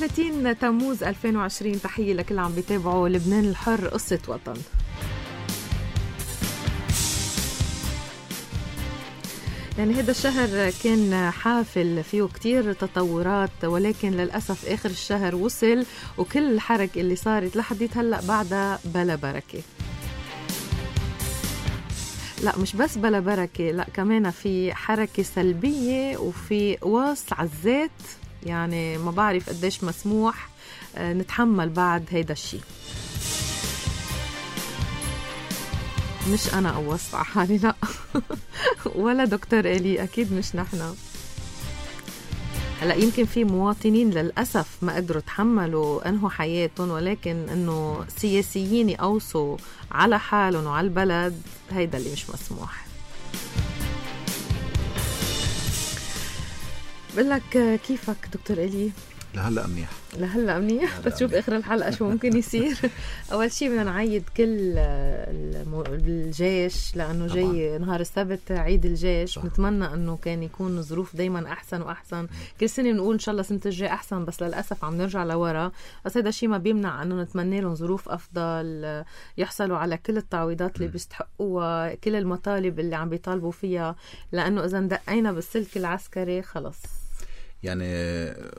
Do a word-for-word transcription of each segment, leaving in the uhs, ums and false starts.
ثلاثين تموز ألفين وعشرين. تحية لكل عم بيتابعوا لبنان الحر قصة وطن. يعني هذا الشهر كان حافل فيه كتير تطورات، ولكن للأسف آخر الشهر وصل وكل الحركة اللي صارت لحديت هلأ بعدها بلا بركة. لا مش بس بلا بركة، لا كمان في حركة سلبية وفي قواص عالذات. يعني ما بعرف قديش مسموح نتحمل بعد هيدا الشيء. مش أنا قوصت على حالي، لا ولا دكتور إلي، أكيد مش نحنا. هلا يمكن في مواطنين للأسف ما قدروا تحملوا أنهوا حياتهم، ولكن أنه سياسيين يقوصوا على حالهم وعلى البلد هيدا اللي مش مسموح. بقول لك كيفك دكتور إلي؟ لهلا منيح. لهلا منيح. بتشوف اخر الحلقه شو ممكن يصير. اول شيء بدنا نعيد كل الجيش لانه طبعاً جاي نهار السبت عيد الجيش. صح. نتمنى انه كان يكون الظروف دايما احسن واحسن. م. كل سنه بنقول ان شاء الله سنه الجاي احسن، بس للاسف عم نرجع لورا. بس هذا الشيء ما بيمنع انه نتمنى لهم ظروف افضل، يحصلوا على كل التعويضات اللي بيستحقوها، كل المطالب اللي عم بيطالبوا فيها، لانه اذا دقينا بالسلك العسكري خلص. يعني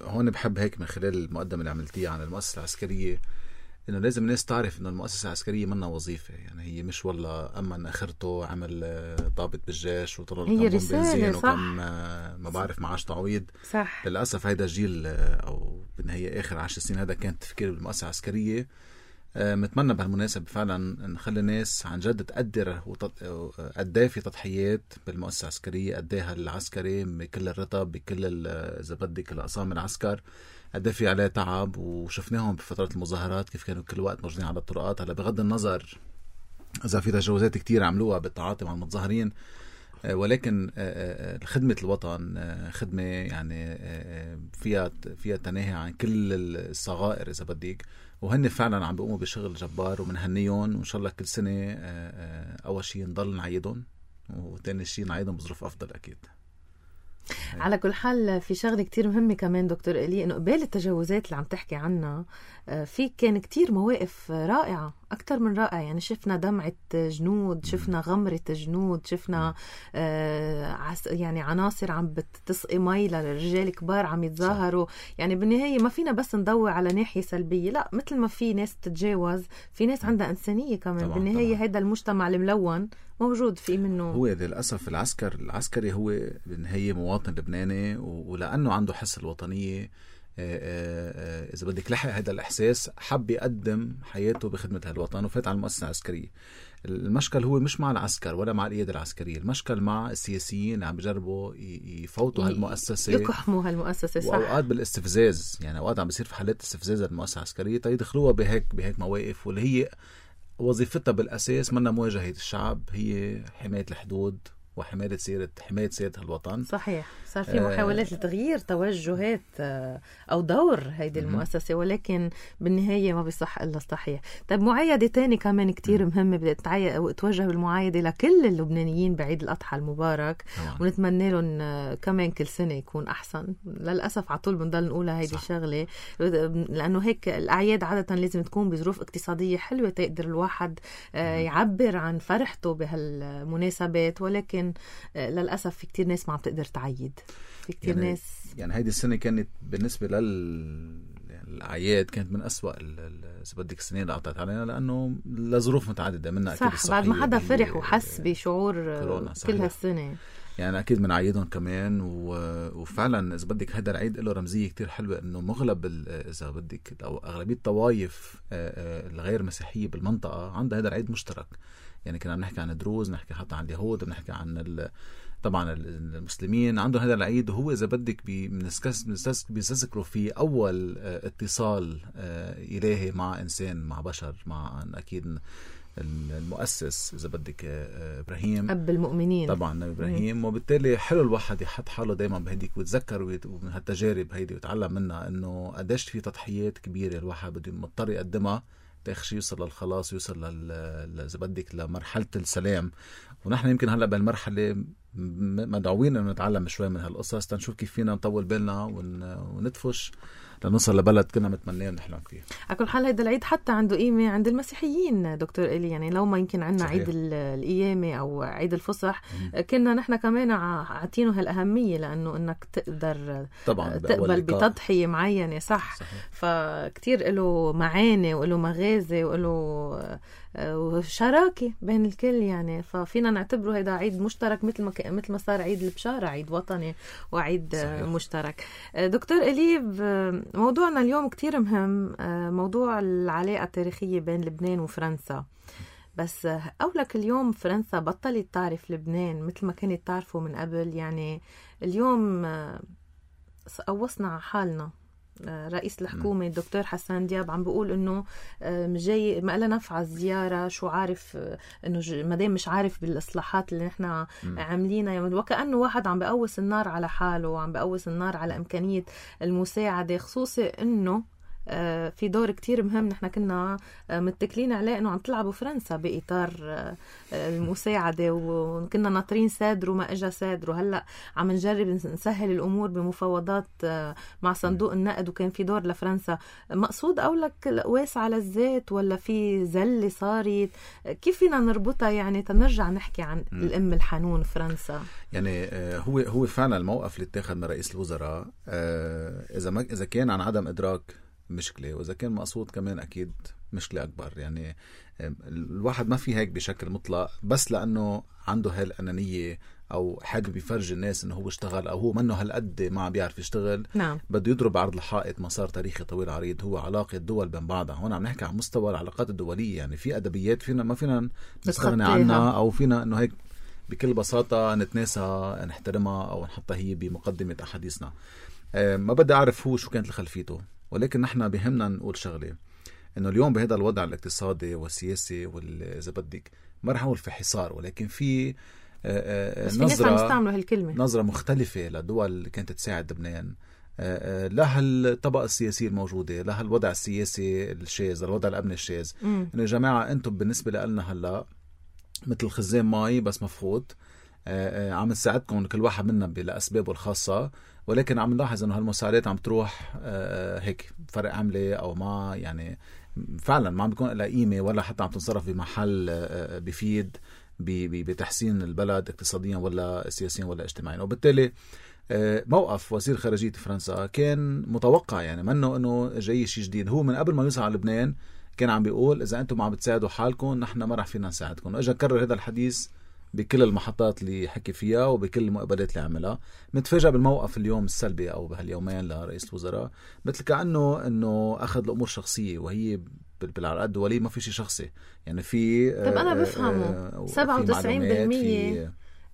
هون بحب هيك من خلال المقدمة اللي عملتيها عن المؤسسة العسكرية إنه لازم الناس تعرف إنه المؤسسة العسكرية منها وظيفة. يعني هي مش والله أما أخرته عمل ضابط بالجيش وطلع كم بنزين وكم ما بعرف معاش تعويض. صح. للأسف هيدا جيل أو بالنهاية آخر عشر سنين هذا كان تفكير بالمؤسسة العسكرية. متمنى بهالمناسبة فعلا نخلي الناس عن جد تقدر قديه في تضحيات بالمؤسسة العسكرية، قديها العسكري بكل الرتب بكل إذا بدك الأقسام العسكر، قديه في عليه تعب. وشفناهم بفترة المظاهرات كيف كانوا كل وقت موجودين على الطرقات. هلا بغض النظر إذا في تجاوزات كتير عملوها بالتعاطي مع المتظاهرين، ولكن خدمة الوطن خدمة يعني فيها فيها تناهي عن كل الصغائر إذا بدك، وهن فعلا عم بيقوموا بشغل جبار ومنهنيهم. وإن شاء الله كل سنة أول شيء نضل نعيدهم، وتاني شيء نعيدهم بظروف أفضل أكيد. على كل حال في شغلة كتير مهمة كمان دكتور إلي، إنه قبل التجاوزات اللي عم تحكي عنها في كان كتير مواقف رائعة أكتر من رائعة. يعني شفنا دمعة جنود، شفنا غمرة جنود، شفنا آه يعني عناصر عم بتسقي مي للرجال كبار عم يتظاهروا. يعني بالنهاية ما فينا بس ندور على ناحية سلبية، لا مثل ما في ناس تتجاوز في ناس عندها إنسانية كمان. طبعا بالنهاية طبعا. هذا المجتمع الملون موجود في منه. هو للأسف العسكر العسكري هو بالنهاية مواطن لبناني، ولأنه عنده حس الوطنية إذا بدك لحق هذا الإحساس حب يقدم حياته بخدمة هالوطن وفات على المؤسسة العسكرية. المشكل هو مش مع العسكر ولا مع القيادة العسكرية، المشكل مع السياسيين اللي عم بيجربوا يفوتوا هالمؤسسة، يقحموا هالمؤسسة. صح. وأوقات بالاستفزاز، يعني أوقات عم بيصير في حالات استفزاز المؤسسة العسكرية تيدخلوها بهيك بهيك مواقف، واللي هي وظيفتها بالأساس منا مواجهة الشعب، هي حماية الحدود وحماية سيرة حماية سيرة الوطن. صحيح. صار في محاولات آه لتغيير توجهات آه أو دور هيدي المؤسسة، ولكن بالنهاية ما بيصح إلا الصحيح. طيب معايدة تاني كمان كتير مهمة بدأت وتوجه بالمعايدة لكل اللبنانيين بعيد الأضحى المبارك. آه. ونتمنى لهم آه كمان كل سنة يكون أحسن. للأسف عطول بنضل نقولها هيدي الشغلة، لأنه هيك الأعياد عادة لازم تكون بظروف اقتصادية حلوة تقدر الواحد آه يعبر عن فرحته بهالمناسبات، ولكن للأسف في كتير ناس ما عم تقدر تعيد. في كتير يعني ناس يعني هيدي السنة كانت بالنسبة للأعياد كانت من أسوأ إذا بدك السنين اللي قطعت علينا، لأنه لظروف متعددة منها أكيد صح. بعد ما حدا فرح وحس بشعور كل هالسنة، يعني أكيد من عيدهم كمان. وفعلا إذا بدك هذا العيد له رمزية كتير حلوة، إنه مغلب إذا بدك أو أغلبية الطوائف الغير مسيحية بالمنطقة عندها هذا العيد مشترك. يعني كنا بنحكي عن دروز، نحكي حتى عن اليهود، بنحكي عن طبعا المسلمين عندهم هذا العيد. وهو إذا بدك بيستذكروا فيه أول اتصال إلهي مع إنسان مع بشر، مع أكيد المؤسس إذا بدك إبراهيم أب المؤمنين طبعا نبي إبراهيم. وبالتالي حلو الواحد يحط حاله دايما بهديك ويتذكر من هالتجارب هيدي ويتعلم منها إنه قديش في تضحيات كبيرة الواحد بده مضطر يقدمها تأخشي يوصل للخلاص، يوصل إذا بدك لمرحلة السلام. ونحن يمكن هلأ بالمرحلة مدعوين أن نتعلم شوي من هالقصص تنشوف كيف فينا نطول بالنا وندفش لنوصل لبلد كنا متمنين ونحلم فيه. على كل حال هيدا العيد حتى عنده قيمة عند المسيحيين دكتور إلي، يعني لو ما يمكن عنا عيد القيامة أو عيد الفصح م- كنا نحن كمان عاطينه هالأهمية، لأنه إنك تقدر طبعا تقبل بتضحية معينة صح, صح. فكتير له معاني وله مغازي وله وشراكة بين الكل يعني، ففينا نعتبره هيدا عيد مشترك مثل ما مثل ما صار عيد البشارة عيد وطني وعيد صحيح. مشترك. دكتور إليب، موضوعنا اليوم كتير مهم، موضوع العلاقة التاريخية بين لبنان وفرنسا. بس أولك اليوم فرنسا بطلت تعرف لبنان مثل ما كانت تعرفه من قبل، يعني اليوم قوصنا على حالنا. رئيس الحكومة الدكتور حسان دياب عم بيقول انه جاي ما لها نفع الزيارة، شو عارف انه مدام مش عارف بالاصلاحات اللي نحن عاملينها، يعني وكأنه واحد عم بقوس النار على حاله وعم بقوس النار على امكانية المساعدة، خصوصي انه في دور كتير مهم نحن كنا متكلين عليه انه عم تلعبوا فرنسا بإطار المساعدة، وكنا ناطرين سادر وما اجا سادر، وهلأ عم نجرب نسهل الامور بمفاوضات مع صندوق النقد وكان في دور لفرنسا. مقصود اولك القواس على الذات ولا في زلة صارت؟ كيف فينا نربطها يعني تنرجع نحكي عن م. الام الحنون فرنسا؟ يعني هو هو فعلا الموقف اللي اتخذ من رئيس الوزراء اذا ما اذا كان عن عدم ادراك مشكلة، وإذا كان مقصود كمان أكيد مشكلة أكبر. يعني الواحد ما في هيك بشكل مطلق بس لأنه عنده هالأنانية أو حابب يفرج الناس إنه هو اشتغل أو هو منه هالقد ما عم بيعرف يشتغل. نعم. بده يضرب عرض الحائط مسار تاريخي طويل عريض هو علاقة دول بين بعضها. هون عم نحكي عن مستوى العلاقات الدولية، يعني في أدبيات فينا ما فينا نستغني عنها أو فينا إنه هيك بكل بساطة نتناسى نحترمها أو نحطها هي بمقدمة أحاديثنا. ما بدي أعرف هو شو كانت خلفيته، ولكن نحن بهمنا نقول شغلة، إنه اليوم بهذا الوضع الاقتصادي والسياسي والإذا بدك ما رح نقول في حصار، ولكن في نظرة نظرة مختلفة لدول اللي كانت تساعد لبنان، لها الطبقة السياسية الموجودة، لها الوضع السياسي الشاذ، الوضع الأمني الشاذ. إنه يا جماعة أنتم بالنسبة لنا هلا مثل خزان ماي بس مفقود، عم نساعدكم كل واحد منا بأسبابه الخاصة، ولكن عم نلاحظ انه هالمساعدات عم تروح هيك فرق عملة او ما، يعني فعلا ما عم بيكون لها قيمة ولا حتى عم تنصرف بمحل بيفيد بتحسين البلد اقتصاديا ولا سياسيا ولا اجتماعيا. وبالتالي موقف وزير خارجية فرنسا كان متوقع، يعني منه انه جاي شيء جديد. هو من قبل ما يوصل على لبنان كان عم بيقول اذا انتم عم بتساعدوا حالكم نحن ما رح فينا نساعدكم، واجا كرر هذا الحديث بكل المحطات اللي حكي فيها وبكل المقابلات اللي عملها. متفاجئ بالموقف اليوم السلبي او بهاليومين لرئيس الوزراء، مثل كأنه انه اخذ الامور شخصية، وهي بالعلاقات الدولية ما في شيء شخصي. يعني في طب انا بفهمه سبعة وتسعين بالمية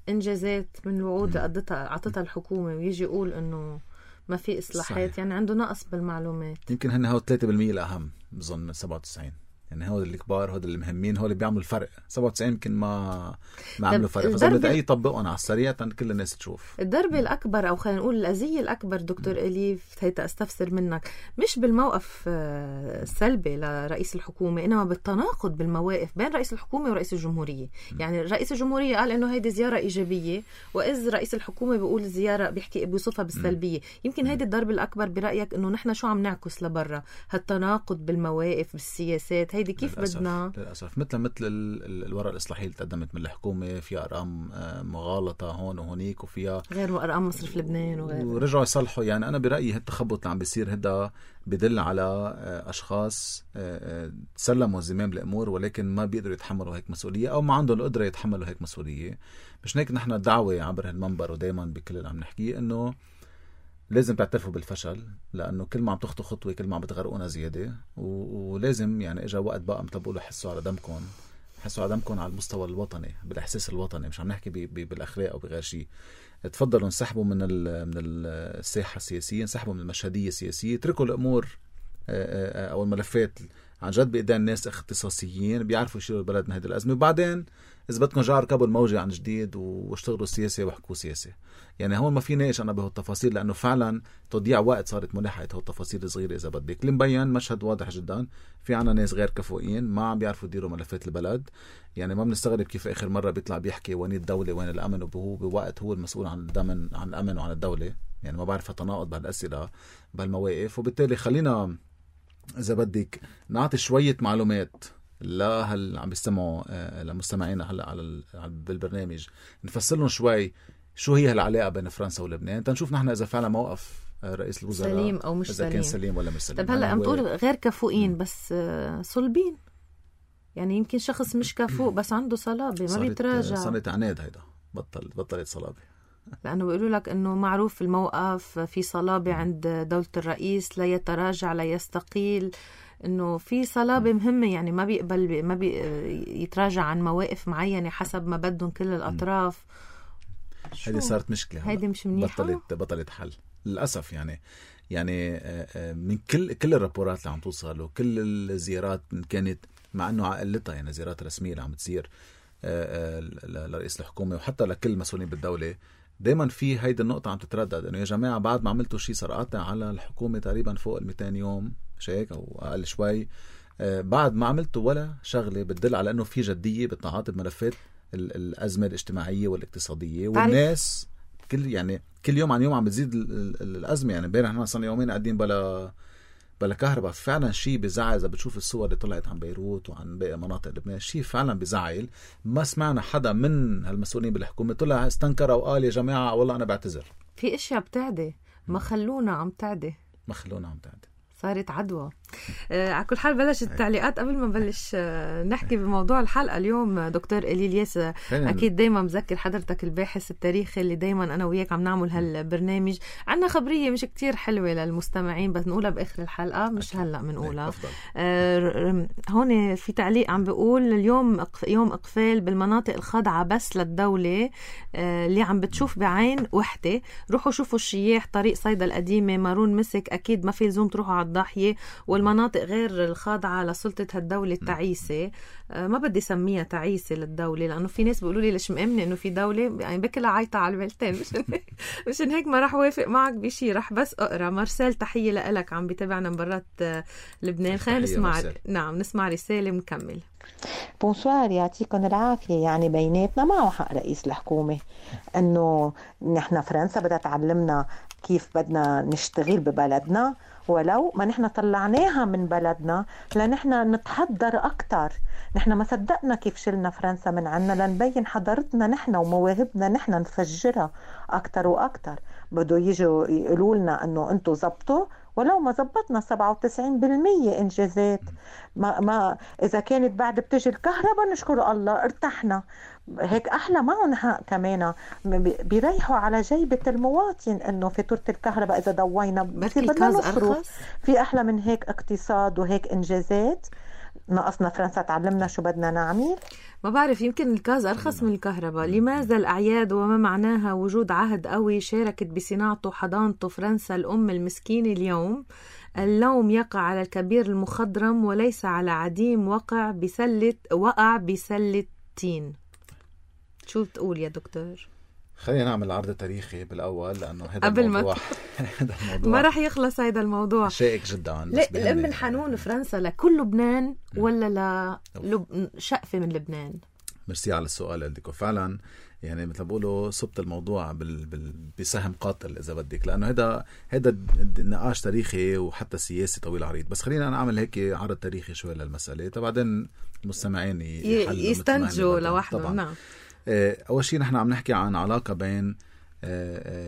انجازات من الوعود قدتها اعطتها الحكومة، ويجي يقول انه ما في اصلاحات. صحيح. يعني عنده نقص بالمعلومات. يمكن هن هو ثلاثة بالمية الاهم بظن من سبعة وتسعين، يعني هو اللي كبار، هو اللي مهمين، هو اللي بيعملوا الفرق. سبعة وتسعين يمكن ما ما عملوا فرق، فصار بدي يطبقون على السريع كل الناس تشوف. الضربة الأكبر أو خلينا نقول الأذية الأكبر دكتور إليف هيدا أستفسر منك، مش بالموقف السلبي لرئيس الحكومة، إنما بالتناقض بالمواقف بين رئيس الحكومة ورئيس الجمهورية. م. يعني رئيس الجمهورية قال إنه هيدي زيارة إيجابية، وإذ رئيس الحكومة بيقول زيارة بيحكي بيوصفها بالسلبية. م. يمكن هيدي الضربة الأكبر برأيك، إنه نحن شو عم نعكس لبرا هالتناقض بالمواقف بالسياسات. هيدي كيف للأسف. بدنا للأسف مثل مثل الورقة الإصلاحية اللي تقدمت من الحكومة فيها أرقام مغالطة هون وهونيك، وفيها غير أرقام مصرف لبنان وغير، ورجعوا يصلحوا. يعني أنا برأيي هالتخبط اللي عم بيصير هدا بدل على أشخاص تسلموا زمام الأمور ولكن ما بيقدروا يتحملوا هيك مسؤولية أو ما عندهم القدرة يتحملوا هيك مسؤولية. مش هيك نحن الدعوة عبر هالمنبر ودايما بكل اللي عم نحكيه إنه لازم تعترفوا بالفشل، لأنه كل ما عم تخطوا خطوة كل ما عم بتغرقونا زيادة، ولازم يعني إجا وقت بقى مثل بقولوا حسوا على دمكم، حسوا على دمكم على المستوى الوطني، بالإحساس الوطني، مش عم نحكي بي بي بالأخلاق أو بغير شيء. تفضلوا انسحبوا من من الساحة السياسية، انسحبوا من المشهدية السياسية، اتركوا الأمور أو الملفات عن جد بإيدين ناس اختصاصيين بيعرفوا يشيلوا البلد من هذه الأزمة. وبعدين إذا بدكم جار ركبوا الموجة عن جديد واشتغلوا سياسة وحكوا سياسة. يعني هون ما في ناقش أنا بهالتفاصيل لأنه فعلا تضيع وقت صارت ملحقة هالتفاصيل الصغيرة. إذا بدك اللي مبين مشهد واضح جدا، في عنا ناس غير كفؤين ما عم بيعرفوا يديروا ملفات البلد. يعني ما بنستغرب كيف آخر مرة بيطلع بيحكي وين الدولة وين الأمن، وهو بوقت هو المسؤول عن الأمن عن الأمن وعن الدولة. يعني ما بعرف تناقض بهالأسئلة بهالمواقف. وبالتالي خلينا إذا بدك نعطي شوية معلومات لا هل عم بيستمعوا لمستمعينا هلا على بالبرنامج، نفسر لهم شوي شو هي هالعلاقة بين فرنسا ولبنان، تنشوف نحن إذا فعلا موقف رئيس الوزراء سليم أو مش إذا سليم. كان سليم ولا مش سليم. طب هلا عم تقول غير كفؤين بس صلبين، يعني يمكن شخص مش كفؤ بس عنده صلابة ما بيتراجع. صارت عناد هيدا، بطل بطلت صلابة، لأنه بيقولوا لك أنه معروف الموقف في صلابة عند دولة الرئيس، لا يتراجع لا يستقيل، أنه في صلابة مهمة. يعني ما بيقبل ما بي يتراجع عن مواقف معينة حسب ما بدهم كل الأطراف. هيدي صارت مشكلة، هيدي مش منيحة، بطلت بطلت حل للأسف. يعني يعني من كل كل الرابورات اللي عم توصل وكل الزيارات كانت مع أنه عقلتها يعني زيارات رسمية اللي عم تصير لرئيس الحكومة وحتى لكل المسؤولين بالدولة، دايما في هيدي النقطة عم تتردد إنه يا جماعة بعد ما عملتوا شيء صار قاطع على الحكومة تقريبا فوق المئتين يوم مش هيك أو أقل شوي، بعد ما عملتوا ولا شغلة بتدل على إنه في جدية بالتعاطي بملفات الأزمة الاجتماعية والاقتصادية. والناس كل يعني كل يوم عن يوم عم بتزيد الأزمة. يعني امبارح احنا صرنا يومين قاعدين بلا بلا كهرباء. فعلا شيء بزعل. إذا بتشوف الصور اللي طلعت عن بيروت وعن باقي مناطق لبنان شيء فعلا بزعل. ما سمعنا حدا من هالمسؤولين بالحكومة طلع استنكر أو قال يا جماعة والله أنا بعتذر. في اشياء بتعدي ما خلونا عم تعدي ما خلونا عم تعدي صارت عدوى. آه، على كل حال بلش التعليقات قبل ما نبلش آه، نحكي بموضوع الحلقة اليوم. دكتور إليلياس آه، أكيد دايما مذكر حضرتك الباحث التاريخي اللي دايما أنا وياك عم نعمل هالبرنامج. عنا خبرية مش كتير حلوة للمستمعين بس نقولها بآخر الحلقة مش هلأ منقولها. آه، هون في تعليق عم بيقول اليوم يوم إقفال بالمناطق الخاضعة بس للدولة آه، اللي عم بتشوف بعين وحدة. روحوا شوفوا الشياح طريق صيدا القديمة مارون مسك، أكيد ما في لزوم تروحوا على الضاحية والمناطق غير الخاضعة لسلطة هالدولة التعيسة. آه ما بدي سميها تعيسة للدولة لأنه في ناس بيقولوا لي ليش مأمنة إنه في دولة يعني بكلها عايطة على البلتين. مشان هيك مشان هيك ما راح وافق معك بشي. راح بس أقرأ. مارسيل تحية لإلك عم بتابعنا من برات آه لبنان. خلينا نسمع مرسل. نعم نسمع رسالة ونكمل. بونسوار يعطيكم العافية. يعني بيناتنا معه حق رئيس الحكومة إنه نحن فرنسا بدها تعلمنا كيف بدنا نشتغل ببلدنا ولو ما نحن طلعناها من بلدنا لنحن نتحضر أكتر. نحن ما صدقنا كيف شلنا فرنسا من عنا لنبين حضارتنا نحن ومواهبنا نحن نفجرها أكتر وأكتر. بدو يجوا يقولوا لنا أنه أنتوا زبطوا ولو ما زبطنا سبعة وتسعين بالمية إنجازات. ما, ما إذا كانت بعد بتجي الكهرباء نشكر الله ارتحنا. هيك أحلى معهم حق كمان بيريحوا على جيبة المواطن إنه فاتورة الكهرباء إذا ضوينا بدنا نصرف. في أحلى من هيك اقتصاد وهيك إنجازات. ناقصنا فرنسا تعلمنا شو بدنا نعمل. ما بعرف يمكن الغاز أرخص من الكهرباء. لماذا الأعياد وما معناها وجود عهد قوي شاركت بصناعته حضانته فرنسا الأم المسكينة اليوم؟ اللوم يقع على الكبير المخضرم وليس على عديم وقع بسلة وقع بسلة تين. شو بتقول يا دكتور؟ خلينا نعمل عرض تاريخي بالأول لأنه هذا قبل الموضوع ما الموضوع ما راح يخلص هذا الموضوع شائك جدا. لا الأم الحنون فرنسا لكل لبنان ولا للب... شقفة من لبنان؟ مرسي على السؤال اللي فعلا يعني مثل بقولوا صبت الموضوع بال... بال... بسهم قاتل إذا بدك لأنه هذا هذا نقاش تاريخي وحتى سياسي طويل عريض. بس خلينا نعمل هيك عرض تاريخي شوي للمسألة بعدين المستمعين يستنتجوا لوحدهم. نعم. أول شيء نحن عم نحكي عن علاقة بين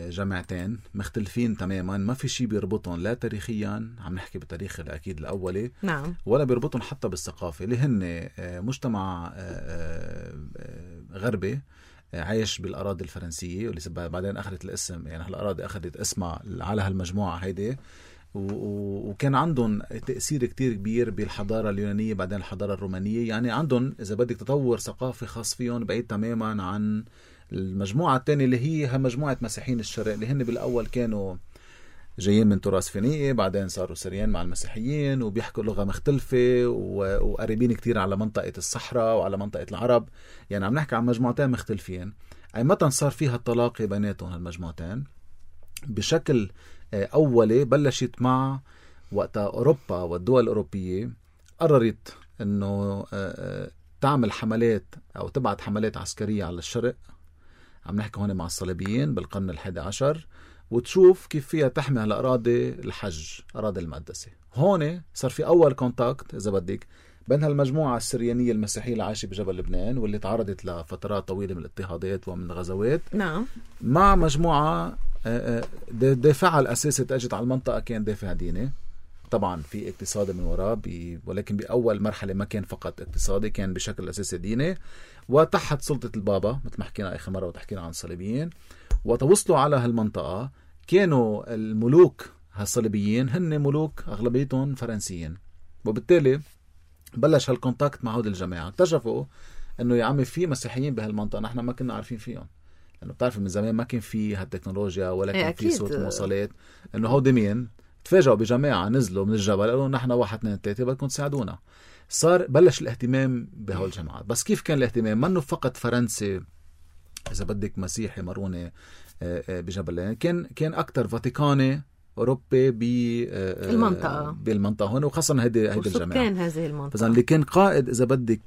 جامعتين مختلفين تماما ما في شيء بيربطهم لا تاريخيا عم نحكي بالتاريخ الأكيد الأولي. نعم. ولا بيربطهم حتى بالثقافة اللي هن مجتمع غربي عايش بالأراضي الفرنسية واللي بعدين أخذت الاسم يعني هالأراضي أخذت اسمها على هالمجموعة هيدي وكان عندهم تأثير كتير كبير بالحضارة اليونانية بعدين الحضارة الرومانية. يعني عندهم إذا بدك تطور ثقافي خاص فيهم بعيد تماما عن المجموعة الثانية اللي هي مجموعة مسيحيين الشرق اللي هن بالأول كانوا جايين من تراث فينيقي، بعدين صاروا سريان مع المسيحيين وبيحكوا لغة مختلفة وقريبين كتير على منطقة الصحراء وعلى منطقة العرب. يعني عم نحكي عن مجموعتين مختلفين. أي متى صار فيها التلاقي بيناتهم المجموعتين بشكل أولي بلشت مع وقت أوروبا والدول الأوروبية قررت أنه تعمل حملات أو تبعت حملات عسكرية على الشرق. عم نحكي هون مع الصليبيين بالقرن الحادي عشر، وتشوف كيف فيها تحمي على أراضي الحج، أراضي المقدسة. هون صار في أول كونتاكت إذا بدك بين هالمجموعة السريانية المسيحية اللي عايشة بجبل لبنان واللي تعرضت لفترات طويلة من الاضطهادات ومن الغزوات، نعم، مع مجموعة دافعها الأساسي تأجت على المنطقة كان دافع ديني. طبعا في اقتصادي من وراء بي ولكن بأول مرحلة ما كان فقط اقتصادي، كان بشكل أساسي ديني وتحت سلطة البابا مثل ما حكينا آخر مرة وتحكينا عن الصليبيين. وتوصلوا على هالمنطقة كانوا الملوك هالصليبيين هن ملوك أغلبيتهم فرنسيين، وبالتالي بلش هالكونتاكت مع هود الجماعة. اكتشفوا انه يا عمي في مسيحيين بهالمنطقة نحن ما كنا عارفين فيهم، لأنه بتعرف من زمان ما كان في هالتكنولوجيا ولا كان في صوت مواصلات. انه هود مين تفاجئوا بجماعة نزلوا من الجبل قالوا نحن واحد اثنين ثلاثة بدكم تساعدونا. صار بلش الاهتمام بهول الجماعات. بس كيف كان الاهتمام؟ منه فقط فرنسي إذا بدك مسيحي مروني بجبل، كان كان أكتر فاتيكاني أوروبي بالمنطقة بالمنطقة هون، وخاصة هيدي هيدي الجماعة كان هذه المنطقة. فإذا اللي كان قائد إذا بدك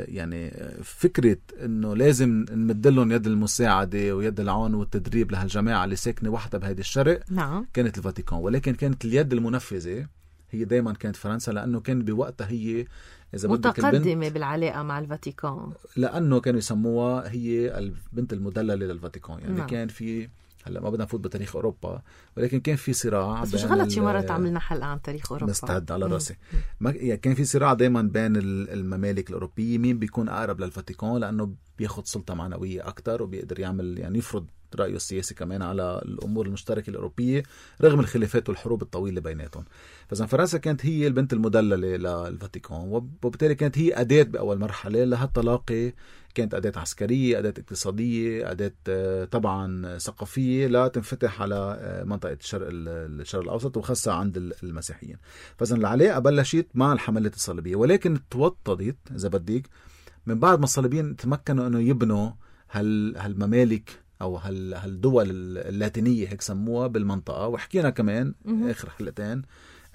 يعني فكرة إنه لازم نمدلهم يد المساعدة ويد العون والتدريب لهالجماعة اللي ساكنة وحدة بهيدي الشرق، نعم، كانت الفاتيكان. ولكن كانت اليد المنفذة هي دايما كانت فرنسا، لأنه كان بوقتها هي إذا متقدمة بالعلاقة مع الفاتيكان، لأنه كانوا يسموها هي البنت المدللة للفاتيكان. يعني نعم. كان في هلا ما بدنا نفوت بتاريخ أوروبا، ولكن كان في صراع. بس مش غلط شي مرة تعملنا حلقة عن تاريخ أوروبا، مستعد على راسي. ما يعني كان في صراع دايما بين الممالك الأوروبية مين بيكون أقرب للفاتيكان، لأنه بياخد سلطة معنوية أكتر وبيقدر يعمل يعني يفرض رأيه السياسي كمان على الأمور المشتركة الأوروبية رغم الخلافات والحروب الطويلة بيناتهم. فإذا فرنسا كانت هي البنت المدللة للفاتيكان، وبالتالي كانت هي أداة بأول مرحلة لهالتلاقي. كانت أداة عسكرية، أداة اقتصادية، أداة طبعا ثقافية لا تنفتح على منطقة الشرق الشرق الأوسط وخاصة عند المسيحيين. فإذا العلاقة بلشت مع الحملات الصليبية، ولكن توطدت إذا بدك من بعد ما الصليبيين تمكنوا أنه يبنوا هال هالممالك أو هال هالدول اللاتينية هيك سموها بالمنطقة. وحكينا كمان آخر حلقتين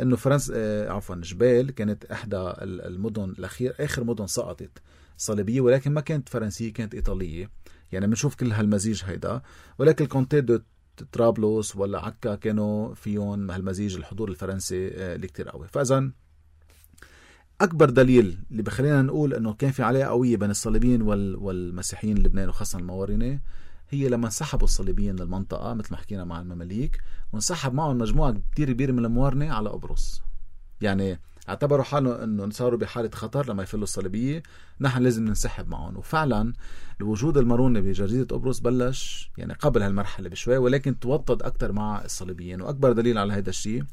إنه فرنسا آه عفوا جبال كانت إحدى المدن الأخير آخر مدن سقطت صليبية، ولكن ما كانت فرنسية، كانت إيطالية. يعني بنشوف كل هالمزيج هيدا. ولكن الكونتي دو طرابلس ولا عكا كانوا فيهم هالمزيج الحضور الفرنسي آه اللي كتير قوي. فإذا أكبر دليل اللي بخلينا نقول إنه كان في علاقة قوية بين الصليبيين والمسيحيين لبنان وخاصة الموارنة هي لما انسحبوا الصليبيين للمنطقة مثل ما حكينا مع المماليك، وانسحب معهم مجموعة كتير كبيرة من الموارنة على قبرص. يعني اعتبروا حالهم انه صاروا بحالة خطر لما يفلوا الصليبية، نحن لازم ننسحب معهم. وفعلا الوجود المرونة بجزيرة قبرص بلش يعني قبل هالمرحلة بشوي، ولكن توطد أكتر مع الصليبيين. وأكبر دليل على هذا الشيء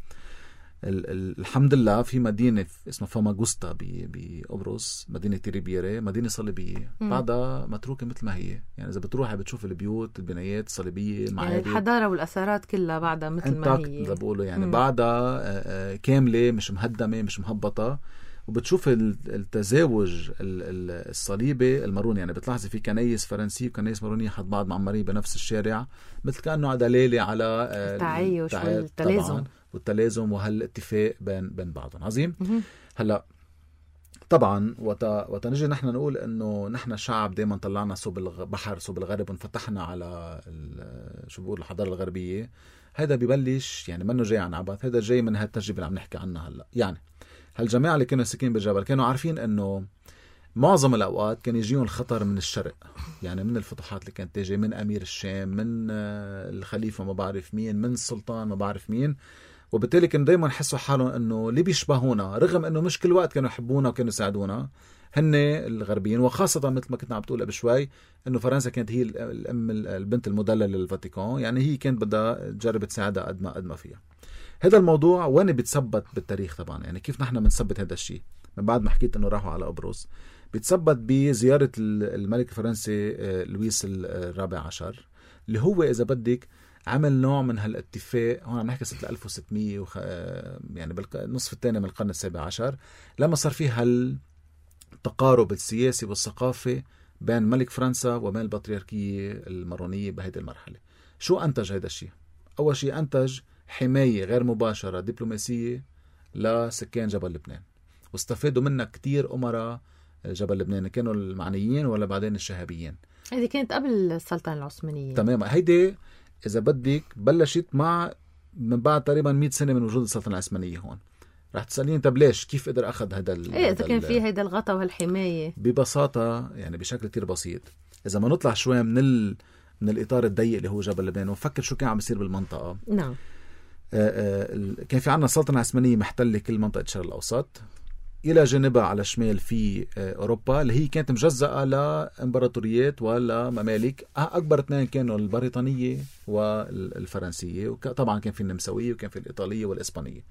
الحمد لله في مدينة اسمها فاماغوستا بقبرص، مدينة تيريبيري، مدينة صليبية بعدها متروكة مثل ما هي. يعني إذا بتروحي بتشوف البيوت البنايات الصليبية، يعني الحضارة والأثارات كلها بعدها مثل ما هي إذا بقولوا يعني بعدها كاملة، مش مهدمة مش مهبطة. وبتشوف التزاوج الصليبي الماروني، يعني بتلاحظي في كنايس فرنسية وكنايس مارونية حد بعض معمرين بنفس الشارع، مثل كأنه دلالة على التعايش والتلازم والتلازم وهالاتفاق بين بين بعضهم. عظيم. هلا طبعا وتا وتنجي نحن نقول انه نحن شعب دائما طلعنا صوب البحر صوب الغرب وانفتحنا على شو بقول الحضاره الغربيه. هذا ببلش يعني منه جاي عن عبث، هذا جاي من هالتجربه اللي عم نحكي عنها هلا. يعني هالجماعه اللي كانوا ساكنين بالجبل كانوا عارفين انه معظم الأوقات كان يجيهم الخطر من الشرق، يعني من الفتوحات اللي كانت تيجي من أمير الشام، من الخليفة ما بعرف مين، من السلطان ما بعرف مين. وبالتالي كانوا دايما يحسوا حالهم أنه اللي بيشبهونا، رغم أنه مش كل وقت كانوا يحبونا وكانوا يساعدونا، هن الغربيين. وخاصة مثل ما كنت عم بتقول قبل شوي أنه فرنسا كانت هي الأم البنت المدللة للفاتيكان، يعني هي كانت بدها تجرب تساعدها قد ما قد ما فيها. هذا الموضوع وين بيتثبت بالتاريخ طبعا، يعني كيف نحن بنثبت هذا الشيء من بعد ما حكيت أنه راحوا على قبرص، بيتثبت بزيارة الملك الفرنسي لويس الرابع عشر، اللي هو إذا بدك عمل نوع من هالاتفاق. هون عم نحكي سنة ألف وستمية وخ... يعني بالنصف الثاني من القرن السابع عشر، لما صار فيه هالتقارب السياسي والثقافي بين ملك فرنسا وبين البطريركية المارونية بهذه المرحلة. شو أنتج هذا الشيء؟ أول شيء أنتج حماية غير مباشرة دبلوماسية لسكان جبل لبنان، واستفادوا منها كتير أمراء جبل لبنان، كانوا المعنيين ولا بعدين الشهابيين. هذه كانت قبل السلطنة العثمانية تماما. هيدي إذا بدك بلشت مع من بعد تقريبا مئة سنة من وجود السلطنة العثمانية. هون رح تسألين طب ليش كيف قدر أخذ هذا ال إيه إذا كان في هيدا الغطاء وهالحماية؟ ببساطة يعني بشكل كتير بسيط، إذا ما نطلع شوي من ال... من الإطار الضيق اللي هو جبل لبنان ونفكر شو كان عم يصير بالمنطقة. نعم. آآ آآ كان في عنا السلطنة العثمانية محتلة كل منطقة الشرق الأوسط، إلى جانبها على الشمال في أوروبا اللي هي كانت مجزأة لإمبراطوريات ولا ممالك. أكبر اثنين كانوا البريطانية والفرنسية، وطبعا كان في النمساوية وكان في الإيطالية والإسبانية.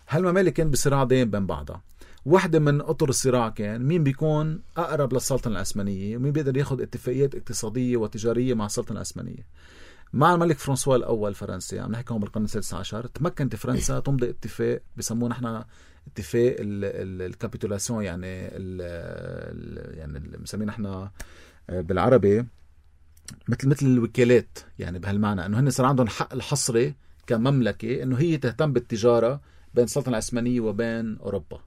هالممالك كان بصراع دائم بين بعضها. واحدة من أطر الصراع كان مين بيكون أقرب للسلطنة العثمانية ومين بيقدر ياخد اتفاقيات اقتصادية وتجارية مع السلطنة العثمانية. مع الملك فرانسوا الأول فرنسي، عم نحكي هون بالقرن السادس عشر، تمكنت فرنسا تمضي اتفاق بسموه نحن اتفاق الكابيتولاسيون، يعني ال يعني مسميه نحن بالعربي مثل مثل الوكالات، يعني بهالمعنى انه هن صار عندهم حق الحصري كمملكه انه هي تهتم بالتجاره بين السلطنه العثمانيه وبين اوروبا.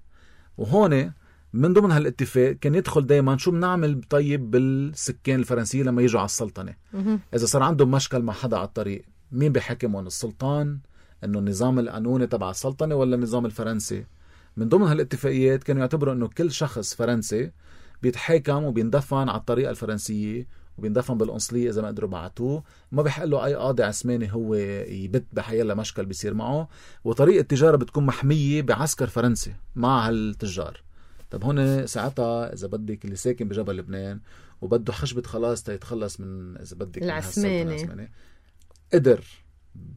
وهون من ضمن هالاتفاق كان يدخل دائما شو بنعمل طيب بالسكان الفرنسيين لما يجوا على السلطنه. اذا صار عندهم مشكل مع حدا على الطريق، مين بيحكمهم؟ السلطان، انه النظام القانوني تبع السلطنه، ولا النظام الفرنسي؟ من ضمن هالاتفاقيات كانوا يعتبروا انه كل شخص فرنسي بيتحاكم وبيندفن على الطريقه الفرنسيه وبيندفن بالقنصليه اذا ما قدروا بعتوه، ما بيحق له اي قاضي عثماني هو يبت بحيلا مشكل بيصير معه، وطريقه التجاره بتكون محميه بعسكر فرنسي مع هالتجار. طب هون ساعتها اذا بدك اللي ساكن بجبل لبنان وبده خشبه خلاص تيتخلص من اذا بدك العثماني، قدر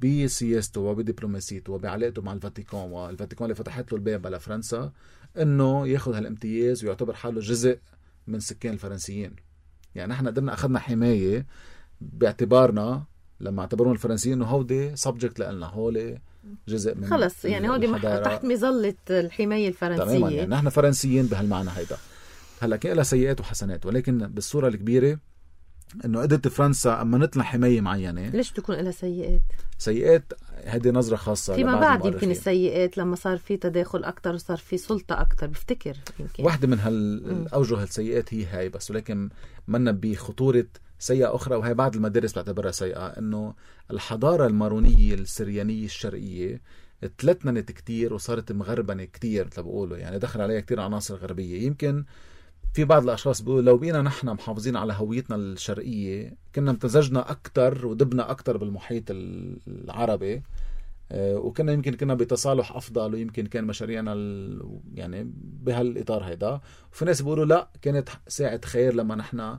بسياسته وبدبلوماسيته وبعلاقته مع الفاتيكان، والفاتيكان اللي فتحت له الباب على فرنسا انه ياخذ هالامتياز ويعتبر حاله جزء من سكان الفرنسيين. يعني نحن قدرنا اخذنا حمايه باعتبارنا لما اعتبرون الفرنسيين انه هودي سبجكت لنا، هولي جزء من خلص، يعني هودي تحت مظله الحمايه الفرنسيه. تماما، يعني نحن فرنسيين بهالمعنى هيدا. هلا كان لها سيئات وحسنات، ولكن بالصوره الكبيره انه قدرت فرنسا اما نطلع حمايه معينه. ليش تكون لها سيئات؟ سيئات هذه نظره خاصه فيما بعد يمكن السيئات لما صار في تداخل اكثر وصار في سلطه اكثر، بفتكر يمكن واحده من هالاوجه السيئات هي هاي بس، ولكن منا بخطوره سيئه اخرى، وهي بعض المدارس بعتبرها سيئه، انه الحضاره المارونيه السريانيه الشرقيه تلتنت كتير وصارت مغربنه كتير مثل بقولوا، يعني دخل عليها كتير عناصر غربيه. يمكن في بعض الأشخاص بيقولوا لو بقينا نحن محافظين على هويتنا الشرقية كنا امتزجنا أكتر ودبنا أكتر بالمحيط العربي، وكنا يمكن كنا بتصالح أفضل، ويمكن كان مشاريعنا يعني بهالإطار هيدا. وفي ناس بيقولوا لا، كانت ساعة خير لما نحن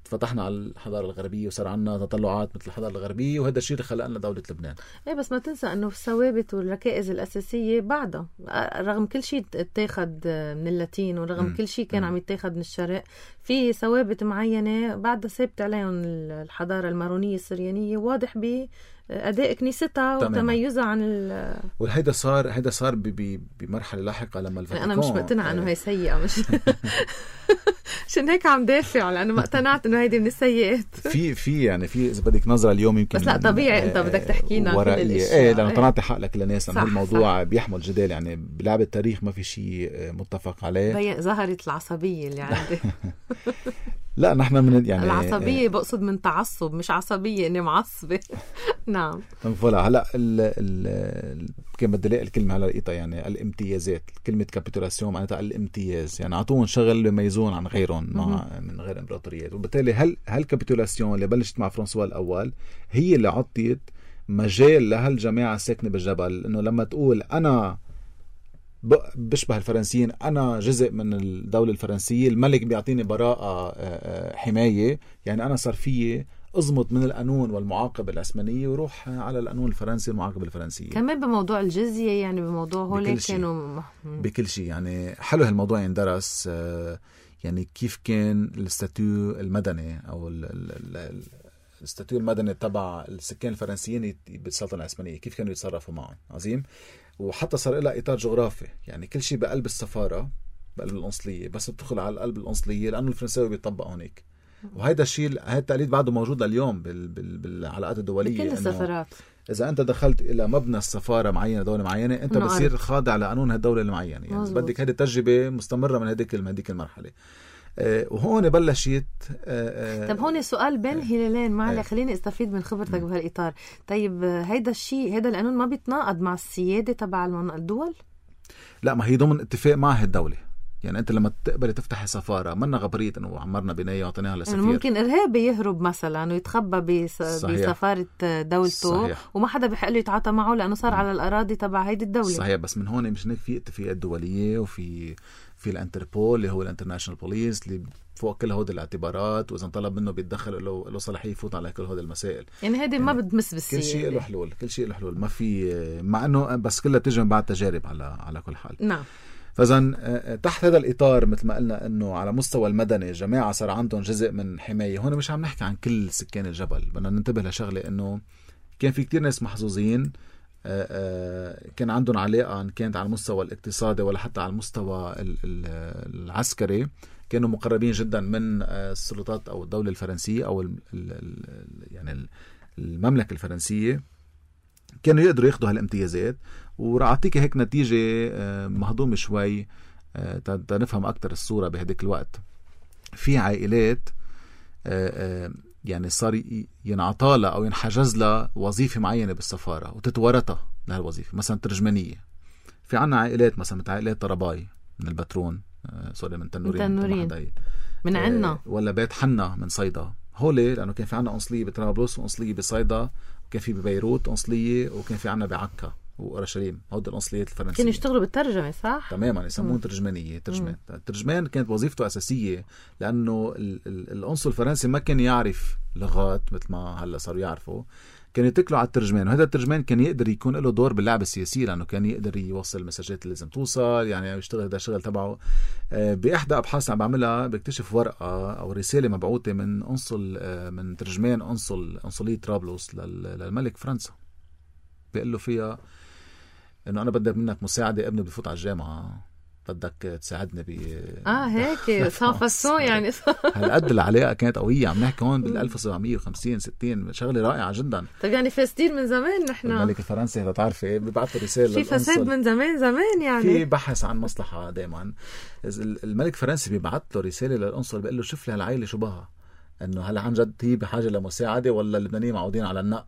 فتحنا على الحضارة الغربية وصار عنا تطلعات مثل الحضارة الغربية، وهذا الشيء اللي خلق لنا دولة لبنان. ايه بس ما تنسى انه الثوابت والركائز الأساسية بعدها، رغم كل شيء اتاخد من اللاتين ورغم م. كل شيء كان م. عم يتاخد من الشرق، في ثوابت معينة بعدها ثابت عليهم الحضارة المارونية السريانية، واضح بأداء كنيستها وتميزها عن ال وهيدا صار هيدا صار بمرحلة لاحقة لما الفاتيكان. أنا مش مقتنعة إنه هي سيئة، مش عشان هيك عم دافع، لأنه ما اقتنعت إنه هيدي من السيئات. في في يعني في إذا بدك نظرة اليوم يمكن، بس لا طبيعي أنت بدك تحكينا كل الأشياء. إيه لأنه طلعت حق لك للناس، لأنه الموضوع بيحمل جدال، يعني بلعب التاريخ ما في شيء متفق عليه. بين ظهرت العصبية اللي عندي. لا نحن من يعني العصبية بقصد من تعصب، مش عصبية إني معصبة. نعم. فلا هلا ال ال كان بدي الاقي الكلمة على لقيتها، يعني الامتيازات، كلمة كابيتولاسيون معناتها الامتياز، يعني عطوهم شغل بيميزون عن غيرهم مع من غير امبراطوريات. وبالتالي هل هالكابيتولاسيون اللي بلشت مع فرانسوا الأول هي اللي عطيت مجال لهالجماعة الساكنة بالجبل إنه لما تقول أنا بشبه الفرنسيين، أنا جزء من الدولة الفرنسية، الملك بيعطيني براءة حماية، يعني أنا صار فيه أزمط من القانون والمعاقبة العثمانية وروح على القانون الفرنسي والمعاقبة الفرنسية. كمان بموضوع الجزية، يعني بموضوع هولي كانوا بكل شيء. يعني حلو هالموضوع يندرس، يعني كيف كان الاستاتيو المدني أو الاستاتيو المدني تبع السكان الفرنسيين بالسلطنة العثمانية كيف كانوا يتصرفوا معهم. عظيم. وحتى صار لها إطار جغرافي، يعني كل شيء بقلب السفارة بقلب القنصلية، بس بتدخل على قلب القنصلية لأنه الفرنساوي بيطبق هونيك. وهيدا الشيء هذا التقليد بعده موجود لليوم بال... بال... بالعلاقات الدولية بكل السفارات. إذا أنت دخلت إلى مبنى السفارة معينة دولة معينة أنت بتصير خاضع لقانون هالدولة المعينة، يعني بدك هذه التجربة مستمرة من هذيك هذيك المرحلة. أه وهون بلشت. أه طب هون سؤال بين الهلالين معلي، خليني استفيد من خبرتك بهالإطار. طيب هيدا الشيء هيدا القانون ما بيتناقض مع السيادة تبع الدول؟ لا، ما هي ضمن اتفاق مع هالدولة. يعني أنت لما تقبل تفتح سفارة منا غبرية إنه عمرنا بناية وعطيناها لسفير. يعني ممكن إرهابي يهرب مثلا ويتخبى بس... بسفارة دولته. صحيح. وما حدا بيحق له يتعاطى معه لأنه صار على الأراضي تبع هيدي الدولة. صحيح. بس من هون مش هيك في اتفاقات دولية وفي في الانتربول اللي هو الانترناشنال بوليس اللي فوق كل هود الاعتبارات، وإذا طلب منه بيتدخل له له صلاحية يفوت على كل هود المسائل. يعني هذه يعني ما بتمس بالسيادة. كل شيء له حلول، كل شيء له حلول. ما في، مع إنه بس كلها تجي من بعد تجارب على على كل حال. نعم. فإذا تحت هذا الإطار مثل ما قلنا إنه على مستوى المدني جماعة صار عندهم جزء من حماية. هون مش عم نحكي عن كل سكان الجبل، بدنا ننتبه لشغلة إنه كان في كتير ناس محظوظين كان عندهم علاقة إن كانت على المستوى الاقتصادي ولا حتى على المستوى العسكري، كانوا مقربين جدا من السلطات أو الدولة الفرنسية أو ال ال يعني المملكة الفرنسية، كانوا يقدروا ياخدوا هالامتيازات. ورح أعطيك هيك نتيجة مهضومة شوي تنفهم أكتر الصورة. بهديك الوقت في عائلات يعني صار ينعطالها أو ينحجز لها وظيفة معينة بالسفارة وتتورطها لهالوظيفة، مثلا ترجمانية. في عنا عائلات مثلا مثل عائلات طرباي من البترون، سوري من تنورين, من, تنورين. من عنا، ولا بيت حنا من صيدا. هولي لأنه كان في عنا قنصلية بطرابلس وقنصلية بصيدا، وكان في ببيروت قنصلية، وكان في عنا بعكا وأورشليم. هود القنصليات الفرنسية كانوا يشتغلوا بالترجمة، صح؟ تماما، يسمون ترجمانية. ترجمان الترجمان كانت وظيفته أساسية لأنه القنصل الفرنسي ما كان يعرف لغات مثل ما هلا صاروا يعرفوا، كان يتكلوا على الترجمان. وهذا الترجمان كان يقدر يكون له دور باللعبة السياسية لأنه كان يقدر يوصل المساجات اللي لازم توصل، يعني يشتغل هذا الشغل تبعه. بإحدى أبحاث عم بعملها بكتشف ورقة أو رسالة مبعوثة من قنصل من ترجمان قنصل قنصلية طرابلس للملك فرنسا، بيقول له فيها إنه أنا بدي منك مساعدة، ابني بفوت على الجامعة، بدك تساعدني ب اه هيك صافصون يعني. هالقد العلاقه كانت قويه. عم نحكي هون بال ألف وسبعمية وخمسين ستين، شغله رائعه جدا. طيب يعني فاسدين من زمان نحن. الملك الفرنسي هذا تعرفي بيبعثوا رساله في فساد من زمان زمان، يعني في بحث عن مصلحه دائما. الملك الفرنسي بيبعث له رساله للقنصل بيقول له شوف لي هالعائله شو بها، انه هلا عن جد هي بحاجه لمساعده ولا اللبنانيين معودين على النق.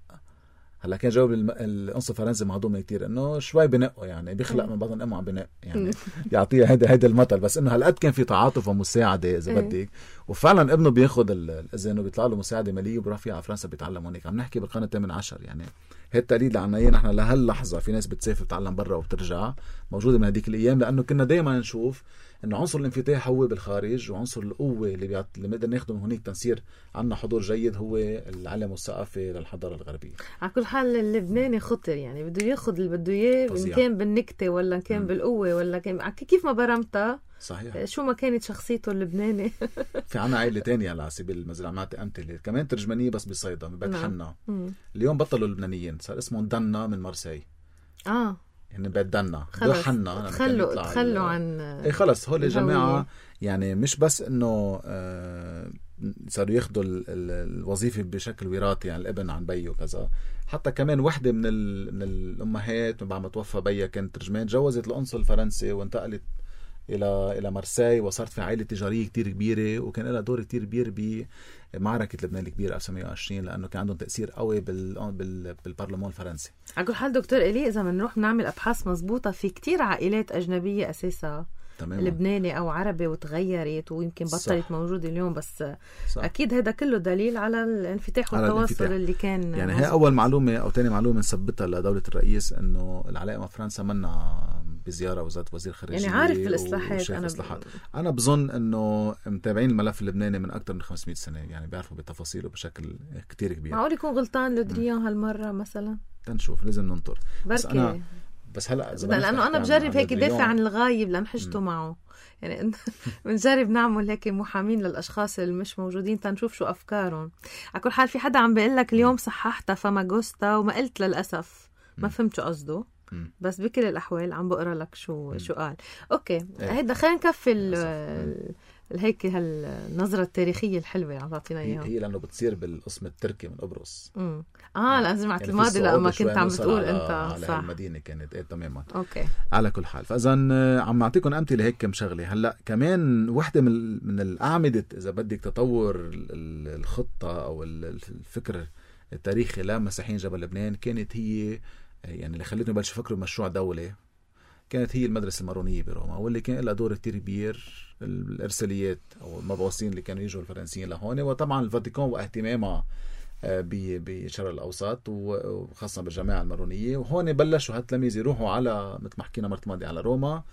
هلا كان جاوب القنصل الفرنسي مهضوم كتير انه شوي بنقوا، يعني بيخلق من بطن امه عم بنق، يعني يعطيها هيدا هيدا المثل. بس انه هالقد كان في تعاطف ومساعده اذا بدك. وفعلا ابنه بياخذ الاذن وبيطلع له مساعده ماليه وبيروح فيها على فرنسا بيتعلم هونيك. عم نحكي بالقرن الثامن عشر، يعني هي التقليد اللي عنا اياه نحن لهاللحظه. في ناس بتسافر بتتعلم برا وبترجع، موجوده من هذيك الايام، لانه كنا دائما نشوف انه عنصر الانفتاح هو بالخارج، وعنصر القوه اللي بيعط... اللي بنقدر ناخده من هونيك تنصير عنا حضور جيد هو العلم والثقافه للحضاره الغربيه. على كل حال اللبناني خطر، يعني بده ياخذ اللي بده اياه، ان كان بالنكته ولا ان كان م. بالقوه ولا كان كيف ما برمتها. صحيح. شو ما كانت شخصيته اللبناني. في عنا عائله تانية على سبيل المثال عم نعطي امثله كمان ترجمانيه بس بصيدا من بيت حنا. اليوم بطلوا اللبنانيين، صار اسمهم دنا من مرسي. اه يعني بيت دنا خلص تخلوا تخلوا عن ايه خلص. هول الجماعه يعني مش بس انه آه صاروا ياخذوا الوظيفه بشكل وراثي، يعني الابن عن بيه وكذا. حتى كمان وحده من من الامهات بعد ما توفى بيها كانت ترجمان، تجوزت القنصل الفرنسي وانتقلت الى الى مرسي، وصارت في عائله تجاريه كتير كبيره، وكان لها دور كتير كبير بمعركه لبنان الكبيره ألف وتسعمية وعشرين، لانه كان عندهم تاثير قوي بال بال بالبرلمان الفرنسي. على كل حال دكتور إلي، اذا بنروح نعمل ابحاث مزبوطه في كتير عائلات اجنبيه اساسا تمام. لبناني او عربي وتغيرت ويمكن بطلت موجوده اليوم، بس صح. اكيد هذا كله دليل على الانفتاح والتواصل اللي كان. يعني هي اول معلومه او ثاني معلومه نثبتها لدوله الرئيس، انه العلاقه مع فرنسا منا بزياره وزاره وزير خارجيه، يعني عارف بالاصلاحات. انا ب... انا بظن انه متابعين الملف اللبناني من اكثر من خمسمية سنه، يعني بيعرفوا بتفاصيله بشكل كتير كبير. معقول يكون غلطان لودريان هالمره مثلا؟ تنشوف، لازم ننطر. بس انا بس هلا لانه انا بجرب هيك دافع عن الغايب لان حجته معه يعني بنجرب نعمل هيك محامين للاشخاص اللي مش موجودين تنشوف شو افكارهم. على كل حال في حدا عم بيقول لك اليوم صححتها فماغوستا وما قلت للاسف ما فهمت شو قصده، بس بكل الاحوال عم بقرا لك شو شو قال. اوكي هيدا خلينا نكفي هيك هالنظرة التاريخية الحلوة اللي عم تعطينا اياها. هي لانه بتصير بالقسم التركي من قبرص. امم اه لازم يعني الماضي لما كنت عم بتقول على انت على صح المدينة كانت ايه تماما. اوكي على كل حال فاذا عم اعطيكم امثله هيك كم شغله. هلا كمان وحده من من الاعمده اذا بدك تطور الخطه او الفكر التاريخي لمسيحيين جبل لبنان كانت هي يعني اللي خلتني بلش افكر بمشروع دولة كانت هي المدرسة المارونية بروما، واللي كان لها دور كتير كبير الإرساليات أو المبعوثين اللي كانوا يجوا الفرنسيين لهون، وطبعا الفاتيكان واهتمامها بالشرق الأوسط وخاصة بالجماعة المارونية. وهون بلشوا هالتلاميذ يروحوا على مثل ما حكينا مرة ماضية على روما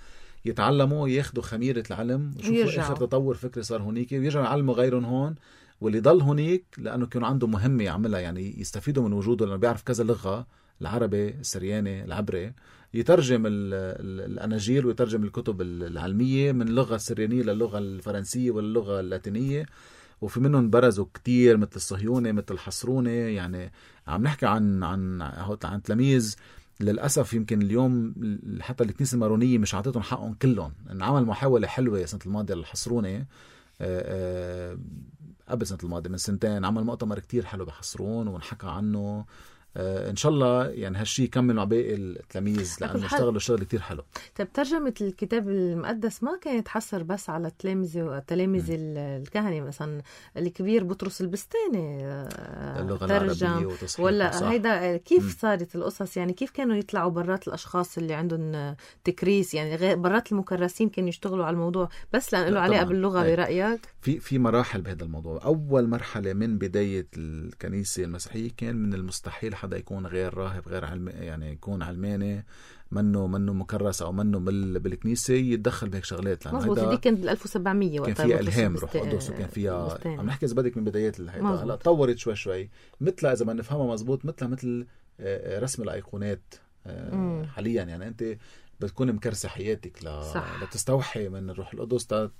يتعلموا ياخدوا خميرة العلم ويشوفوا آخر تطور فكري صار هونيك ويرجعوا يعلموا غيرهم هون. واللي ضل هونيك لأنه كانوا عندهم مهمة يعملها يعني يستفيدوا من وجوده لأنه بيعرف كذا لغة، العربي السرياني العبري، يترجم الأناجيل ويترجم الكتب العلمية من اللغة السريانية للغة الفرنسية واللغة اللاتينية. وفي منهم برزوا كتير مثل الصهيوني مثل الحصروني. يعني عم نحكي عن عن عن تلاميذ للأسف يمكن اليوم حتى الكنيسة المارونية مش عطيتهم حقهم كلهم. عمل محاولة حلوة سنة الماضية للحصروني قبل سنة الماضية من سنتين، عمل مؤتمر كتير حلو بحصرون ونحكى عنه. آه إن شاء الله يعني هالشي يكمل مع باقي التلاميذ لأنه اشتغلوا شغل كتير حلو. طيب ترجمة الكتاب المقدس ما كانت تحصر بس على التلاميذ والتلاميذ الكهنة، مثلا الكبير بطرس البستاني اللغة العربية وتصحيح ولا صح. هيدا كيف م. صارت القصص يعني كيف كانوا يطلعوا برات الأشخاص اللي عندهم تكريس يعني غير برات المكرسين كانوا يشتغلوا على الموضوع بس لأنه له علاقة باللغة أي. برأيك؟ في في مراحل بهذا الموضوع. أول مرحلة من بداية الكنيسة المسيحية كان من المستحيل حدا يكون غير راهب غير علم يعني يكون علماني منه منه مكرس او منه بالكنيسه يتدخل بهيك شغلات. مظبوط دي كانت بال ألف وسبعمية كان فيها الهام روح قدس وكان فيها عم نحكي اذا بدك من بدايات الهيدا. هلا تطورت شوي شوي مثل اذا ما نفهمها مزبوط مثل مثل رسم الايقونات حاليا. يعني انت بتكون مكرسه حياتك ل... لتستوحي من الروح القدس تكون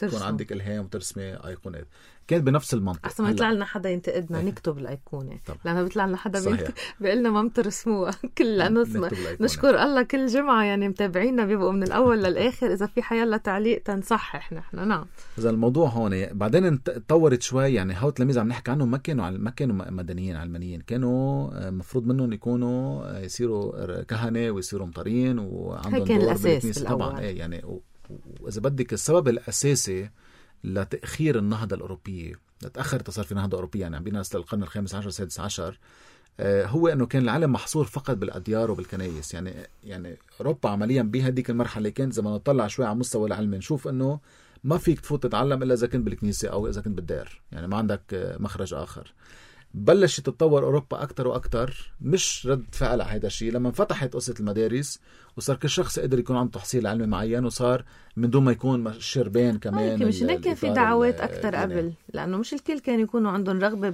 ترسم. عندك الهام وترسمي ايقونات. كان بنفس المنطق. احسن ما يطلع لنا حدا ينتقدنا نكتب الايقونه لانه بيطلع لنا حدا بيقول لنا ما بترسموها كل لانه نشكر الله كل جمعه يعني متابعينا بيبقوا من الاول للاخر اذا في حيلا تعليق تنصحح نحن. نعم اذا الموضوع هون بعدين تطورت شوي. يعني هاو التلاميذ عم نحكي عنهم ما كانوا ما كانوا مدنيين علمانيين، كانوا مفروض منهم يكونوا يصيروا كهنه ويصيروا مطرين وعندهم دور بالكنيسه طبعا. ايه يعني وإذا بدك السبب الأساسي لتأخير النهضة الأوروبية لتأخر صار في نهضة أوروبية يعني عم بينا للقرن الخامس عشر السادس عشر آه هو أنه كان العالم محصور فقط بالأديار وبالكنائس. يعني يعني أوروبا عمليا بهديك المرحلة كانت زي ما نطلع شوي على مستوى العلم نشوف أنه ما فيك تفوت تتعلم إلا إذا كنت بالكنيسة أو إذا كنت بالدير، يعني ما عندك مخرج آخر. بلشت تتطور أوروبا أكتر وأكتر مش رد فعل على هذا الشيء لما فتحت قصة المدارس وصار كل شخص قدر يكون عنده تحصيل علمي معين وصار من دون ما يكون شربان كمان. مش هيك كان في دعوات أكتر قبل لأنه مش الكل كان يكونوا عندهم رغبة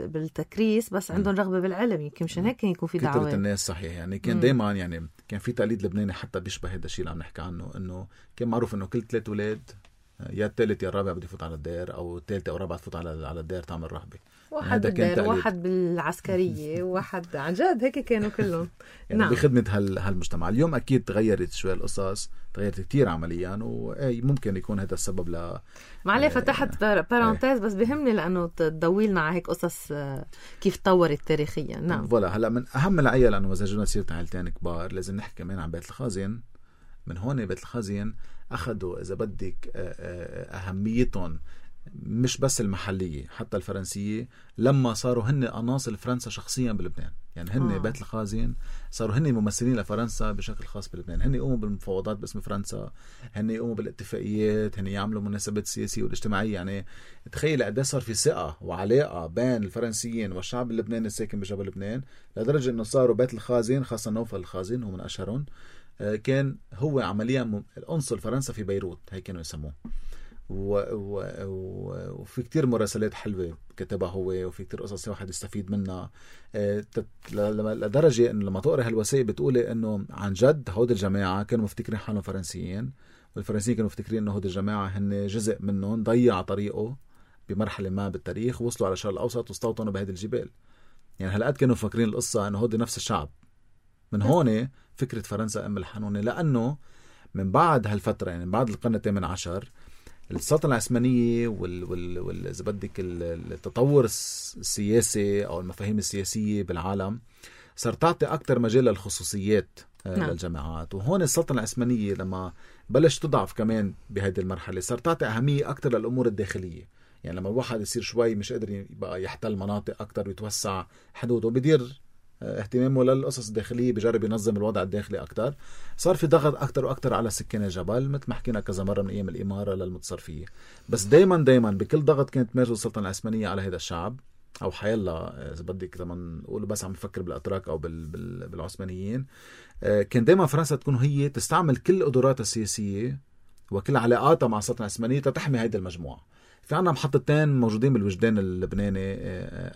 بالتكريس بس عندهم رغبة بالعلم. يمكن مشان هيك كان يكون في دعوات كترة الناس. صحيح يعني كان دايما يعني كان في تقليد لبناني حتى بيشبه هذا الشيء اللي عم نحكي عنه إنه كان معروف إنه كل ثلاث أولاد يا الثالث يا الرابع بده يفوت على الدير أو الثالثة أو الرابعة تفوت على على الدير تعمل رهبة. واحد بالدير واحد بالعسكرية واحد عن جد هيك كانوا كلهم يعني نعم. بخدمة هال هالمجتمع. اليوم أكيد تغيرت شوي القصص تغيرت كتير عمليا وأي ممكن يكون هذا السبب ل معليه فتحت بارانتيز بس بهمني لأنه تضويلنا على هيك قصص كيف تطورت تاريخيا. نعم فوالا. هلا من أهم العيال لأنه إذا جينا سيرة عائلتين كبار لازم نحكي كمان عن بيت الخازن. من هون بيت الخازن أخذوا إذا بدك أهميتهم مش بس المحلية حتى الفرنسية لما صاروا هن عناصر فرنسا شخصيا بلبنان. يعني هن آه. بيت الخازن صاروا هن ممثلين لفرنسا بشكل خاص بلبنان. هن يقوموا بالمفاوضات باسم فرنسا، هن يقوموا بالاتفاقيات، هن يعملوا مناسبات السياسية والاجتماعية. يعني تخيل قد صار في ثقة وعلاقة بين الفرنسيين والشعب اللبناني الساكن بجبل لبنان لدرجة انه صاروا بيت الخازن خاصة نوفل الخازن هو من اشهرهم كان هو عمليا القنصل فرنسا في بيروت هيك كانوا يسموه. و... و... و... وفي كتير مراسلات حلوة كتبها هو، وفي كتير قصص واحد يستفيد منها. اه تت... لدرجة إنه لما تقرأ هالوثائق بتقولي إنه عن جد هود الجماعة كانوا مفتكرين حالهم فرنسيين، والفرنسيين كانوا مفتكرين إنه هود الجماعة هن جزء منهم ضيع طريقه بمرحلة ما بالتاريخ، وصلوا على الشرق الأوسط واستوطنوا بهذه الجبال. يعني هلقد كانوا فاكرين القصة إنه هود نفس الشعب. من هون فكرة فرنسا أم الحنونة، لأنه من بعد هالفترة يعني من بعد القرن الثامن عشر السلطنة العثمانية وال وال وال إذا بدك التطور السياسي أو المفاهيم السياسية بالعالم صار تعطي أكتر مجال للخصوصيات نعم. للجماعات. وهون السلطنة العثمانية لما بلش تضعف كمان بهذه المرحلة صار تعطي أهمية أكتر للأمور الداخلية. يعني لما الواحد يصير شوي مش قادر يبقى يحتل مناطق أكتر ويتوسع حدوده، بدير اهتمامه للقصص الداخلية، بجرب ينظم الوضع الداخلي أكتر. صار في ضغط أكتر وأكتر على سكان الجبل، مثل ما حكينا كذا مرة من أيام الإمارة للمتصرفية. بس دايما دايما بكل ضغط كانت تمارس السلطنة العثمانية على هذا الشعب، أو حيلا إذا بدك لما نقول بس عم نفكر بالأتراك أو بال بال بالعثمانيين، كان دايما فرنسا تكون هي تستعمل كل قدراتها السياسية وكل علاقاتها مع السلطنة العثمانية تحمي هذه المجموعة. في عنا محطتين موجودين بالوجدان اللبناني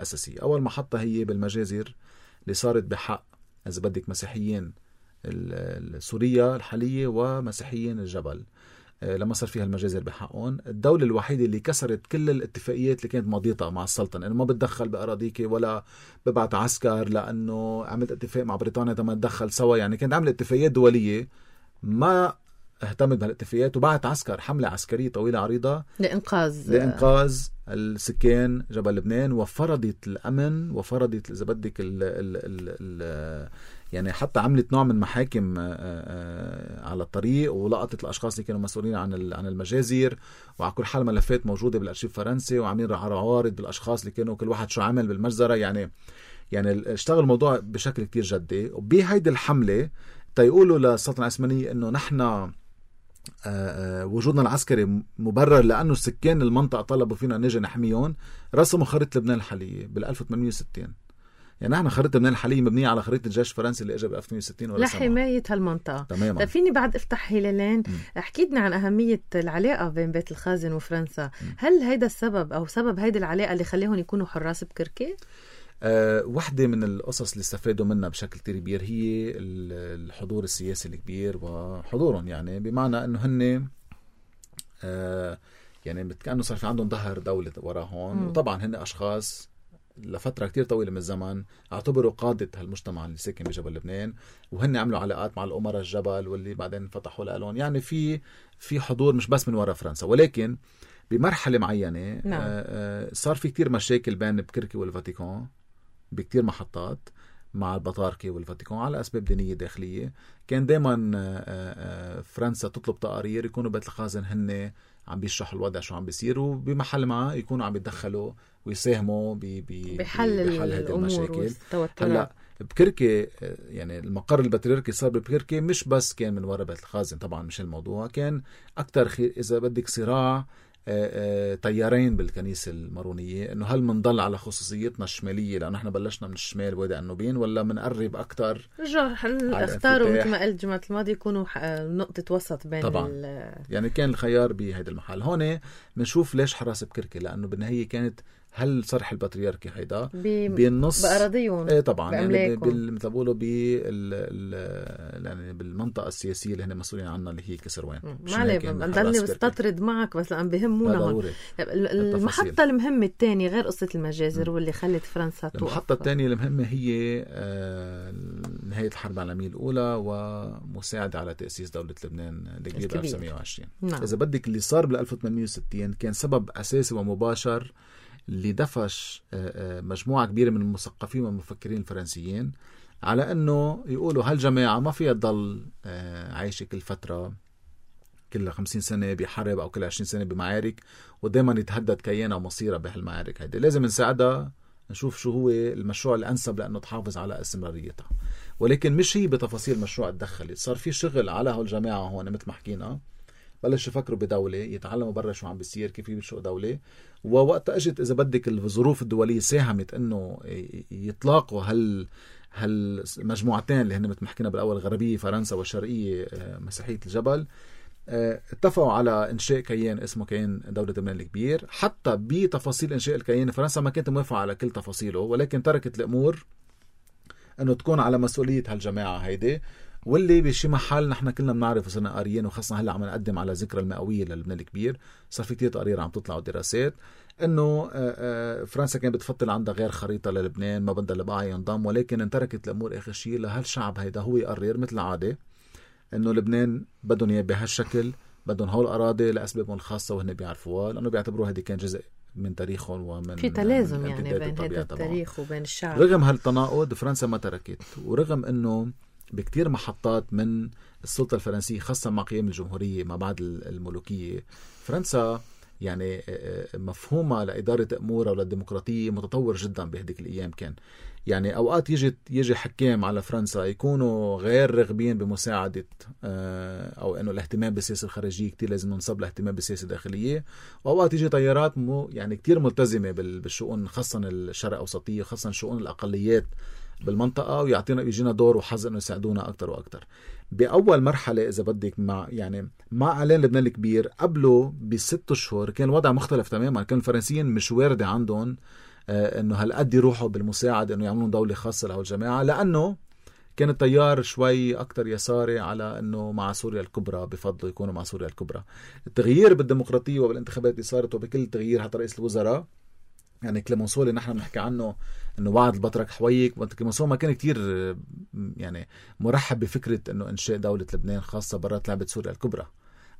أساسية. أول محطة هي بالمجازر اللي صارت بحق إذا بدك مسيحيين سوريا الحالية ومسيحيين الجبل. لما صار فيها المجازر بحقهم، الدولة الوحيدة اللي كسرت كل الاتفاقيات اللي كانت ماضيتها مع السلطنة، إنه ما بتدخل بأراضيك ولا ببعت عسكر، لأنه عملت اتفاق مع بريطانيا تما تدخل سوا. يعني كانت عملت اتفاقيات دولية، ما اهتمت بهالاتفاقيات وبعت عسكر حملة عسكرية طويلة عريضة لإنقاذ لإنقاذ السكان جبل لبنان، وفرضت الأمن وفرضت إذا بدك ال ال ال ال يعني حتى عملت نوع من محاكم على الطريق، ولقطت الأشخاص اللي كانوا مسؤولين عن عن المجازر. وعلى كل حال ملفات موجودة بالأرشيف الفرنسي، وعاملين عوارض بالأشخاص اللي كانوا كل واحد شو عمل بالمجزرة. يعني يعني اشتغل الموضوع بشكل كتير جدي. وبهيدي الحملة تيقولوا للسلطنة العثمانية إنه نحن وجودنا العسكري مبرر لأنه السكان المنطقة طلبوا فينا نجي نحميهم. رسموا خريطة لبنان الحالية بال ألف وثمانمية وستين. يعني نحن خريطة لبنان الحالية مبنية على خريطة الجيش الفرنسي اللي اجى ب ألف وثمانمية وستين لحماية هالمنطقة. تماما. طيب فيني بعد افتح هلالين، احكي لنا عن أهمية العلاقة بين بيت الخازن وفرنسا. م. هل هيدا السبب أو سبب هيدا العلاقة اللي خليهم يكونوا حراس بكركي؟ أه واحدة من القصص اللي استفادوا منها بشكل كتير كبير هي الحضور السياسي الكبير وحضورهم. يعني بمعنى انه هن أه يعني كأنه صار في عندهم ظهر دولة وراهم. وطبعا هن اشخاص لفترة كتير طويلة من الزمن اعتبروا قادة هالمجتمع اللي ساكن بجبل لبنان، وهن عملوا علاقات مع الأمراء الجبل واللي بعدين فتحوا لهم. يعني في في حضور مش بس من وراء فرنسا. ولكن بمرحلة معينة نعم. أه صار في كتير مشاكل بين بكركي والفاتيكان بكتير محطات مع البطاركة والفاتيكان على أسباب دينية داخلية. كان دايما فرنسا تطلب تقارير يكونوا بيت الخازن هن عم بيشرحوا الوضع شو عم بيصير، وبمحل ما يكونوا عم بيتدخلوا ويساهموا بحل, بحل هذه المشاكل. هلا بكركي يعني المقر البطريركي صار بكركي مش بس كان من وراء بيت الخازن، طبعا مش الموضوع، كان أكتر إذا بدك صراع تيارين بالكنيسة المارونية، إنه هل منضل على خصوصيتنا الشمالية لأنه إحنا بلشنا من الشمال وادي النوبين، ولا منقرب أكتر. رجع اختاروا مثل ما قلت الجمعة الماضية يكونوا نقطة وسط بين طبعا. يعني كان الخيار بهذا المحل. هون بنشوف ليش حراس بكركي، لأنه بالنهاية كانت هل صرح البطريركي هيدا بالنص بأراضيهم ايه طبعا يعني مثل بقولوا يعني بالمنطقة السياسية اللي هن مسؤولين عنها اللي هي كسروان. ما عليه بضلني بستطرد معك بس لأن بهمونا المحطة المهمة الثانية غير قصة المجازر م. واللي خلت فرنسا توقف. المحطة الثانية المهمة هي آه نهاية الحرب العالمية الأولى ومساعدة على تأسيس دولة لبنان الكبير ب ألف وتسعمية وعشرين. نعم. إذا بدك اللي صار بال ألف وثمانمية وستين كان سبب أساسي ومباشر اللي دفش مجموعة كبيرة من المثقفين والمفكرين الفرنسيين على أنه يقولوا هالجماعة ما فيها تضل عايشة كل فترة كل خمسين سنة بحرب أو كل عشرين سنة بمعارك ودائما يتهدد كيانها ومصيرها بهالمعارك هيدي. لازم نساعدها نشوف شو هو المشروع الأنسب لأنه تحافظ على استمراريتها. ولكن مش هي بتفاصيل مشروع تدخلت. صار في شغل على هالجماعة هون مثل ما حكينا، بلش يفكروا بدولة، يتعلموا برا شو عم بيصير، كيف يبشوا دولة. ووقت اجت اذا بدك الظروف الدولية ساهمت انه يطلقوا هال هالمجموعتين اللي هن مثل ما حكينا بالاول غربية فرنسا والشرقية مسيحية الجبل، اتفقوا على إنشاء كيان اسمه كيان دولة لبنان الكبير. حتى بتفاصيل إنشاء الكيان فرنسا ما كانت موافقة على كل تفاصيله، ولكن تركت الأمور أنه تكون على مسؤولية هالجماعة هيدي، واللي بشي محل نحن كلنا بنعرف وصرنا قاريين، وخاصة هلا عم نقدم على ذكرى المئوية للبنان الكبير. صار في كتير تقارير عم تطلع ودراسات انه فرنسا كانت بتفضل عندها غير خريطة للبنان، ما بدها البقاع ينضم، ولكن انتركت الامور اخر شيء لهالشعب هيدا هو يقرر مثل العادة انه لبنان بدهم اياه بهالشكل، بدهم هول الاراضي لاسبابهم الخاصة وهن بيعرفوها، لانه بيعتبروها هذه كان جزء من تاريخهم ومن في تلازم يعني بين هذا التاريخ وبين الشعب. رغم هالتناقض فرنسا ما تركت، ورغم انه بكتير محطات من السلطة الفرنسية خاصة مع قيام الجمهورية ما بعد الملوكية، فرنسا يعني مفهومها لإدارة أمورها وللديمقراطية متطور جدا بهديك الأيام. كان يعني أوقات يجي يجي حكام على فرنسا يكونوا غير رغبين بمساعدة أو إنه الاهتمام بالسياسة الخارجية كتير لازم ننصب الاهتمام بالسياسة الداخلية، وأوقات يجي طيارات مو يعني كتير ملتزمة بالشؤون خاصة الشرق أوسطية، خاصة شؤون الأقليات بالمنطقة، ويعطينا يجينا دور وحظ إنه يساعدونا أكتر وأكتر. بأول مرحلة إذا بدك مع يعني مع إعلان لبنان الكبير قبله بست أشهر كان الوضع مختلف تماما. كان الفرنسيين مش واردة عندهم آه إنه هالقد يروحوا بالمساعدة إنه يعملون دولة خاصة له الجماعة، لأنه كان التيار شوي أكتر يساري على إنه مع سوريا الكبرى، بفضلوا يكونوا مع سوريا الكبرى. التغيير بالديمقراطية وبالانتخابات اللي صارت وبكل تغيير حتى رئيس الوزراء يعني كليمونسو اللي نحن بنحكي عنه انه وعد البطرك حويك، كليمونسو ما كان كتير يعني مرحب بفكرة انه انشاء دولة لبنان خاصة برات لعبة سوريا الكبرى،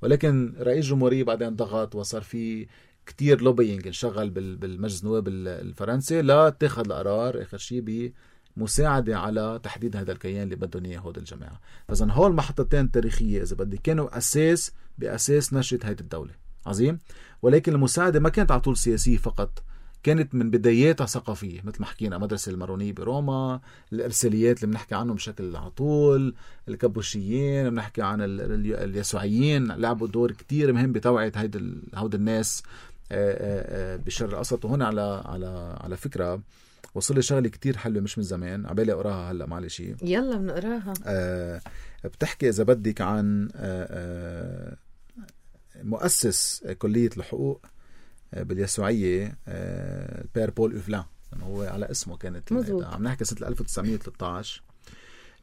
ولكن رئيس جمهورية بعدين ضغط وصار في كتير لوبينج انشغل بالمجلس النواب الفرنسي لا تاخذ القرار اخر شيء بمساعدة على تحديد هذا الكيان اللي بدهم اياه هود الجماعة. فاذا هول المحطتين التاريخية اذا بدي كانوا اساس باساس نشأة هيدي الدولة عظيم، ولكن المساعدة ما كانت على طول سياسية فقط، كانت من بداياتها ثقافية مثل ما حكينا، مدرسة المارونية بروما، الإرساليات اللي بنحكي عنهم بشكل على طول، الكابوشيين بنحكي عن اليسوعيين لعبوا دور كتير مهم بتوعية هيد هود الناس بالشرق الأوسط. وهنا على على على فكرة وصل لي شغلة كتير حلوة مش من زمان عبالي أقراها هلا معلش يلا بنقراها. آه بتحكي إذا بدك عن آه آه مؤسس كلية الحقوق باليسوعية البير بول أوفلان، هو على اسمه كانت عم نحكي سنة ألف وتسعمية وثلاثة عشر.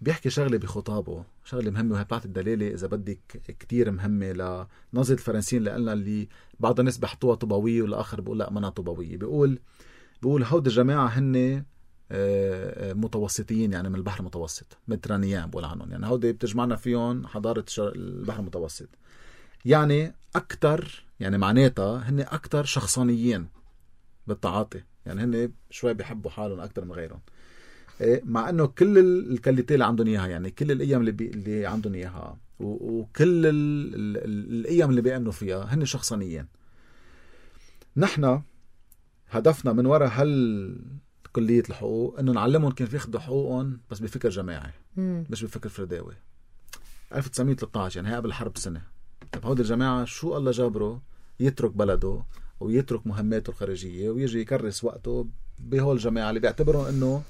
بيحكي شغلة بخطابه شغلة مهمة وهي بتاعت الدلالة إذا بدك كتير مهمة لنظرة الفرنسيين لأننا اللي بعض الناس بيحطوها طوبوية والآخر بيقول لا منا طوبوية. بيقول بيقول هود الجماعة هن متوسطيين يعني من البحر المتوسط، مديترانيان بقول عنهم، يعني هود بتجمعنا فيهم حضارة البحر المتوسط، يعني أكتر يعني معناتها هن أكتر شخصانيين بالتعاطي، يعني هن شوي بيحبوا حالهم أكتر من غيرهم، مع أنه كل الكاليتي اللي عندهم إياها يعني كل القيم اللي, بي... اللي عندهم إياها وكل ال... ال... القيم اللي بيأمنوا فيها هن شخصانيين. نحن هدفنا من وراء هل كلية الحقوق إنه نعلمهم كيف ياخدوا حقوقهم بس بفكر جماعي مم. مش بفكر فرداوي. ألف وتسعمية وثلاثة عشر يعني هي قبل الحرب سنة. طب هود الجماعة شو الله جابره يترك بلده ويترك مهماته الخارجية ويجي يكرس وقته بهول الجماعة اللي بيعتبروا إنه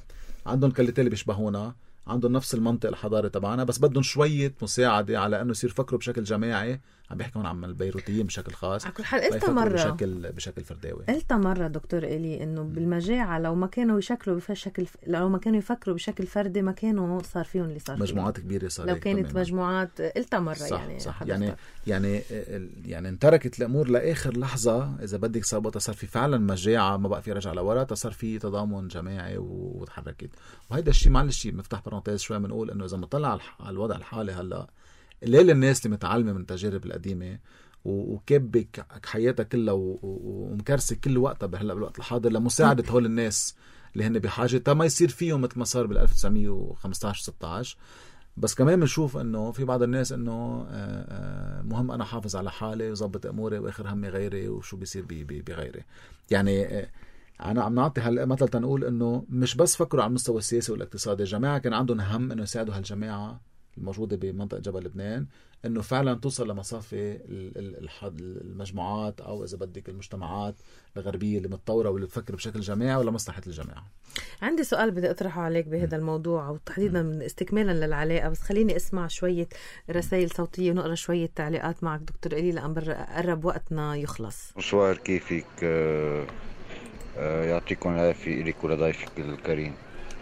عندهم كاليتي اللي بيشبهونا، عندهم نفس المنطق الحضاري تبعنا، بس بدهم شوية مساعدة على إنه يصير فكروا بشكل جماعي. عم بيحكي هون عن البيروتيين بشكل خاص، على كل حال قلت مرة بشكل بشكل فرداوي. قلت مرة دكتور إلي إنه بالمجاعة لو ما كانوا يشكلوا بشكل لو ما كانوا يفكروا بشكل فردي ما كانوا صار فيهم اللي صار مجموعات فيهم. كبيرة صار لو كانت تماما. مجموعات قلت مرة صح يعني صح يعني يعني يعني انتركت الأمور لآخر لحظة إذا بدك صار صار في فعلا مجاعة ما بقى في رجع لورا، صار في تضامن جماعي وتحركت. وهيدا الشيء معلش مفتاح برانتيز شوي بنقول إنه إذا مطلع على الوضع الحالي هلا الليل الناس اللي متعلمة من التجارب القديمة وكبك حياتها كلها ومكرسة كل وقتها بهلا بالوقت الحاضر لمساعدة هول الناس اللي هن بحاجة تا ما يصير فيهم مثل ما صار بال ألف وتسعمية وخمسطعش ستة عشر. بس كمان بنشوف انه في بعض الناس انه مهم انا حافظ على حالي وظبط اموري واخر همي غيري وشو بيصير بغيري. يعني انا عم نعطي هلا مثلا تنقول انه مش بس فكروا على المستوى السياسي والاقتصادي، الجماعة كان عندهم هم انه يساعدوا هالجماعة الموجودة بمنطقة جبل لبنان انه فعلا توصل لمصافي المجموعات او اذا بدك المجتمعات الغربية اللي متطورة واللي تفكر بشكل جماعي ولا مصلحة الجماعة. عندي سؤال بدي اطرحه عليك بهذا الموضوع او تحديدا من استكمالا للعلاقة، بس خليني اسمع شوية رسائل صوتية ونقرأ شوية تعليقات معك دكتور إلي لأن قرب وقتنا يخلص. مصور كيفك؟ آه آه يعطيكم العافية إليك ولضيفك الكريم.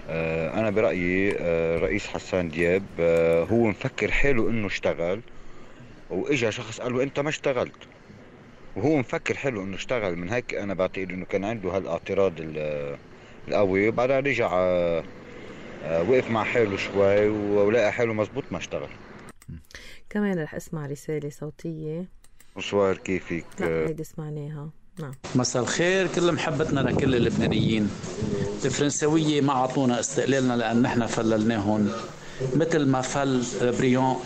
آه أنا برأيي آه رئيس حسان دياب آه هو مفكر حاله إنه اشتغل، وإجا شخص قال له أنت ما اشتغلت، وهو مفكر حاله إنه اشتغل. من هيك أنا بعتقد إنه كان عنده هالاعتراض القوي، وبعدها رجع آه آه وقف مع حاله شوي ولقى حاله مزبوط ما اشتغل. كمان رح اسمع رسالة صوتية. مصور كيفك؟ لا هيدي سمعناها. نعم. مساء الخير، كل محبتنا لكل اللبنانيين. الفرنسوية ما عطونا استقلالنا لأن نحن فللناهم مثل ما فل بريون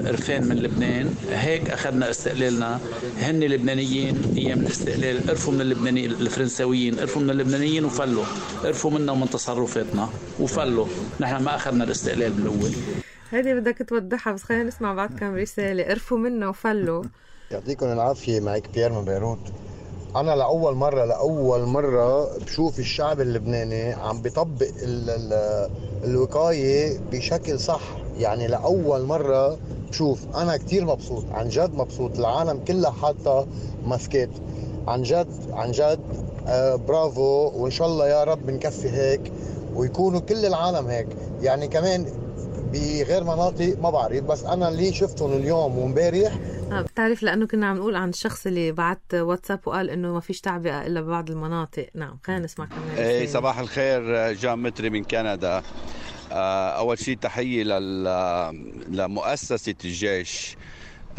إرفان من لبنان، هيك أخذنا استقلالنا. هن لبنانيين أيام الاستقلال قرفوا من اللبنانيين، الفرنسويين قرفوا من اللبنانيين وفلوا، قرفوا منا ومن تصرفاتنا وفلوا. نحن ما أخذنا الاستقلال بالأول. هذه بدك توضحها، بس خلينا نسمع بعد كم رسالة. قرفوا منا وفلوا. يعطيكم العافية. معك بيير من بيروت. أنا لأول مرة لأول مرة بشوف الشعب اللبناني عم بيطبق ال ال الوقاية بشكل صح. يعني لأول مرة بشوف. أنا كتير مبسوط، عن جد مبسوط. العالم كلها حاطة ماسكات، عن جد عن جد. آه برافو، وإن شاء الله يا رب نكفي هيك ويكونوا كل العالم هيك. يعني كمان بغير مناطق ما بعرف، بس أنا اللي شفتهم اليوم ومبارح. آه بتعرف لأنه كنا عم نقول عن الشخص اللي بعت واتساب وقال إنه ما فيش تعبئة إلا ببعض المناطق. نعم خلينا نسمع كمان. ايه صباح الخير، جان متري من كندا. أول شيء تحية لمؤسسة الجيش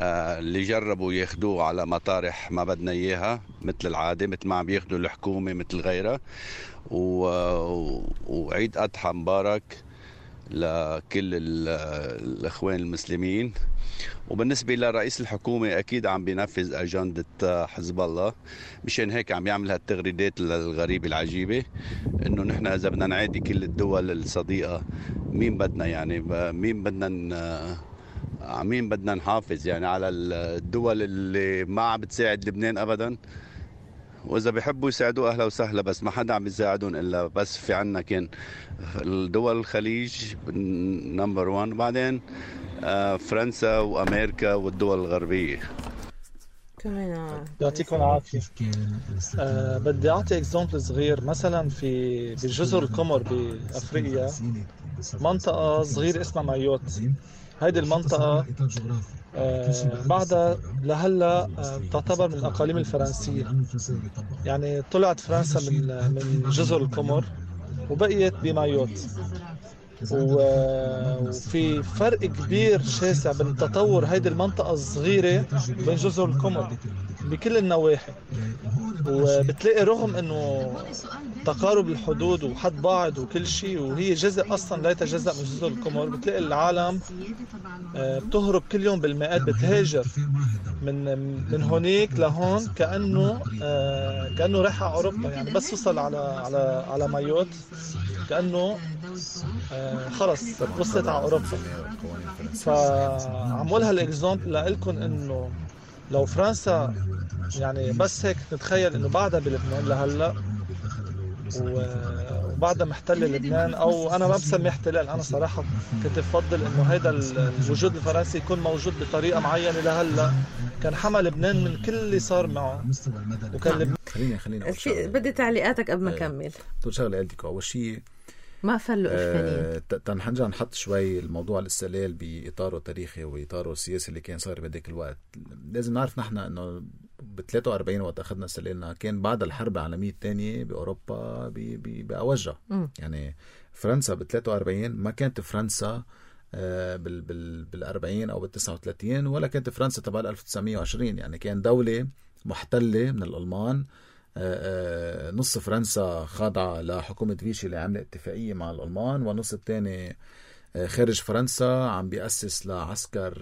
اللي جربوا ياخدوه على مطارح ما بدنا إياها مثل العادة، مثل ما عم ياخدوا الحكومة مثل غيرها. وعيد أضحى مبارك لكل الأخوان المسلمين. وبالنسبة لرئيس الحكومة أكيد عم بينفذ أجندة حزب الله، مشان هيك عم يعمل هالتغريدات الغريبة العجيبة إنه نحن إذا بدنا نعادي كل الدول الصديقة مين بدنا، يعني مين بدنا مين بدنا نحافظ يعني على الدول اللي ما عم بتساعد لبنان أبدا. وإذا بيحبوا يساعدوا أهلا وسهلا، بس ما حدا عم يساعدون إلا بس في عنا كان الدول الخليج نمبر وان، بعدين فرنسا وأمريكا والدول الغربية. كمان يعطيكم العافية. أه بدي أعطي إكزامبل صغير. مثلا في بجزر القمر بأفريقيا منطقة صغيرة اسمها مايوت. هيدي المنطقة آه بعدها لهلا آه تعتبر من الأقاليم الفرنسية. يعني طلعت فرنسا من من جزر القمر وبقيت بمايوت. وفي فرق كبير شاسع بين تطور هيدي المنطقة الصغيرة بين جزر القمر بكل النواحي. وبتلاقي رغم انه تقارب الحدود وحد بعض وكل شيء، وهي جزء اصلا لا يتجزأ من جزر القمر، بتلاقي العالم بتهرب كل يوم بالمئات، بتهاجر من من هونيك لهون كأنه كأنه رايح على اوروبا. يعني بس وصل على على على مايوت كأنه خلص وصلت على اوروبا. فعمول هالاكزامبل لكم انه لو فرنسا يعني بس هيك نتخيل انه بعدها بلبنان لهلا وبعدها محتل لبنان، او انا ما بسميه احتلال، انا صراحه كنت بفضل انه هذا الوجود الفرنسي يكون موجود بطريقه معينه لهلا، كان حمى لبنان من كل اللي صار معه. وكان لبنان خليني خليني بدي تعليقاتك قبل ما اكمل. تقول شغله قلتك اول شيء ما فلوا إرفانين. أه تنحنجا نحط شوي الموضوع الاستقلال بإطاره التاريخي وإطاره السياسي اللي كان صار بهداك الوقت. لازم نعرف نحن إنه ب ثلاثة وأربعين وقت أخذنا استقلالنا كان بعد الحرب العالمية الثانية بأوروبا بأوجها. يعني فرنسا ب ثلاثة وأربعين ما كانت فرنسا أه بال بال بالأربعين أو بالتسعة وثلاثين، ولا كانت فرنسا تبع ألف وتسعمية وعشرين. يعني كان دولة محتلة من الألمان. نص فرنسا خاضعة لحكومة فيشي اللي عملت اتفاقية مع الألمان، والنص الثاني خارج فرنسا عم بيأسس لعسكر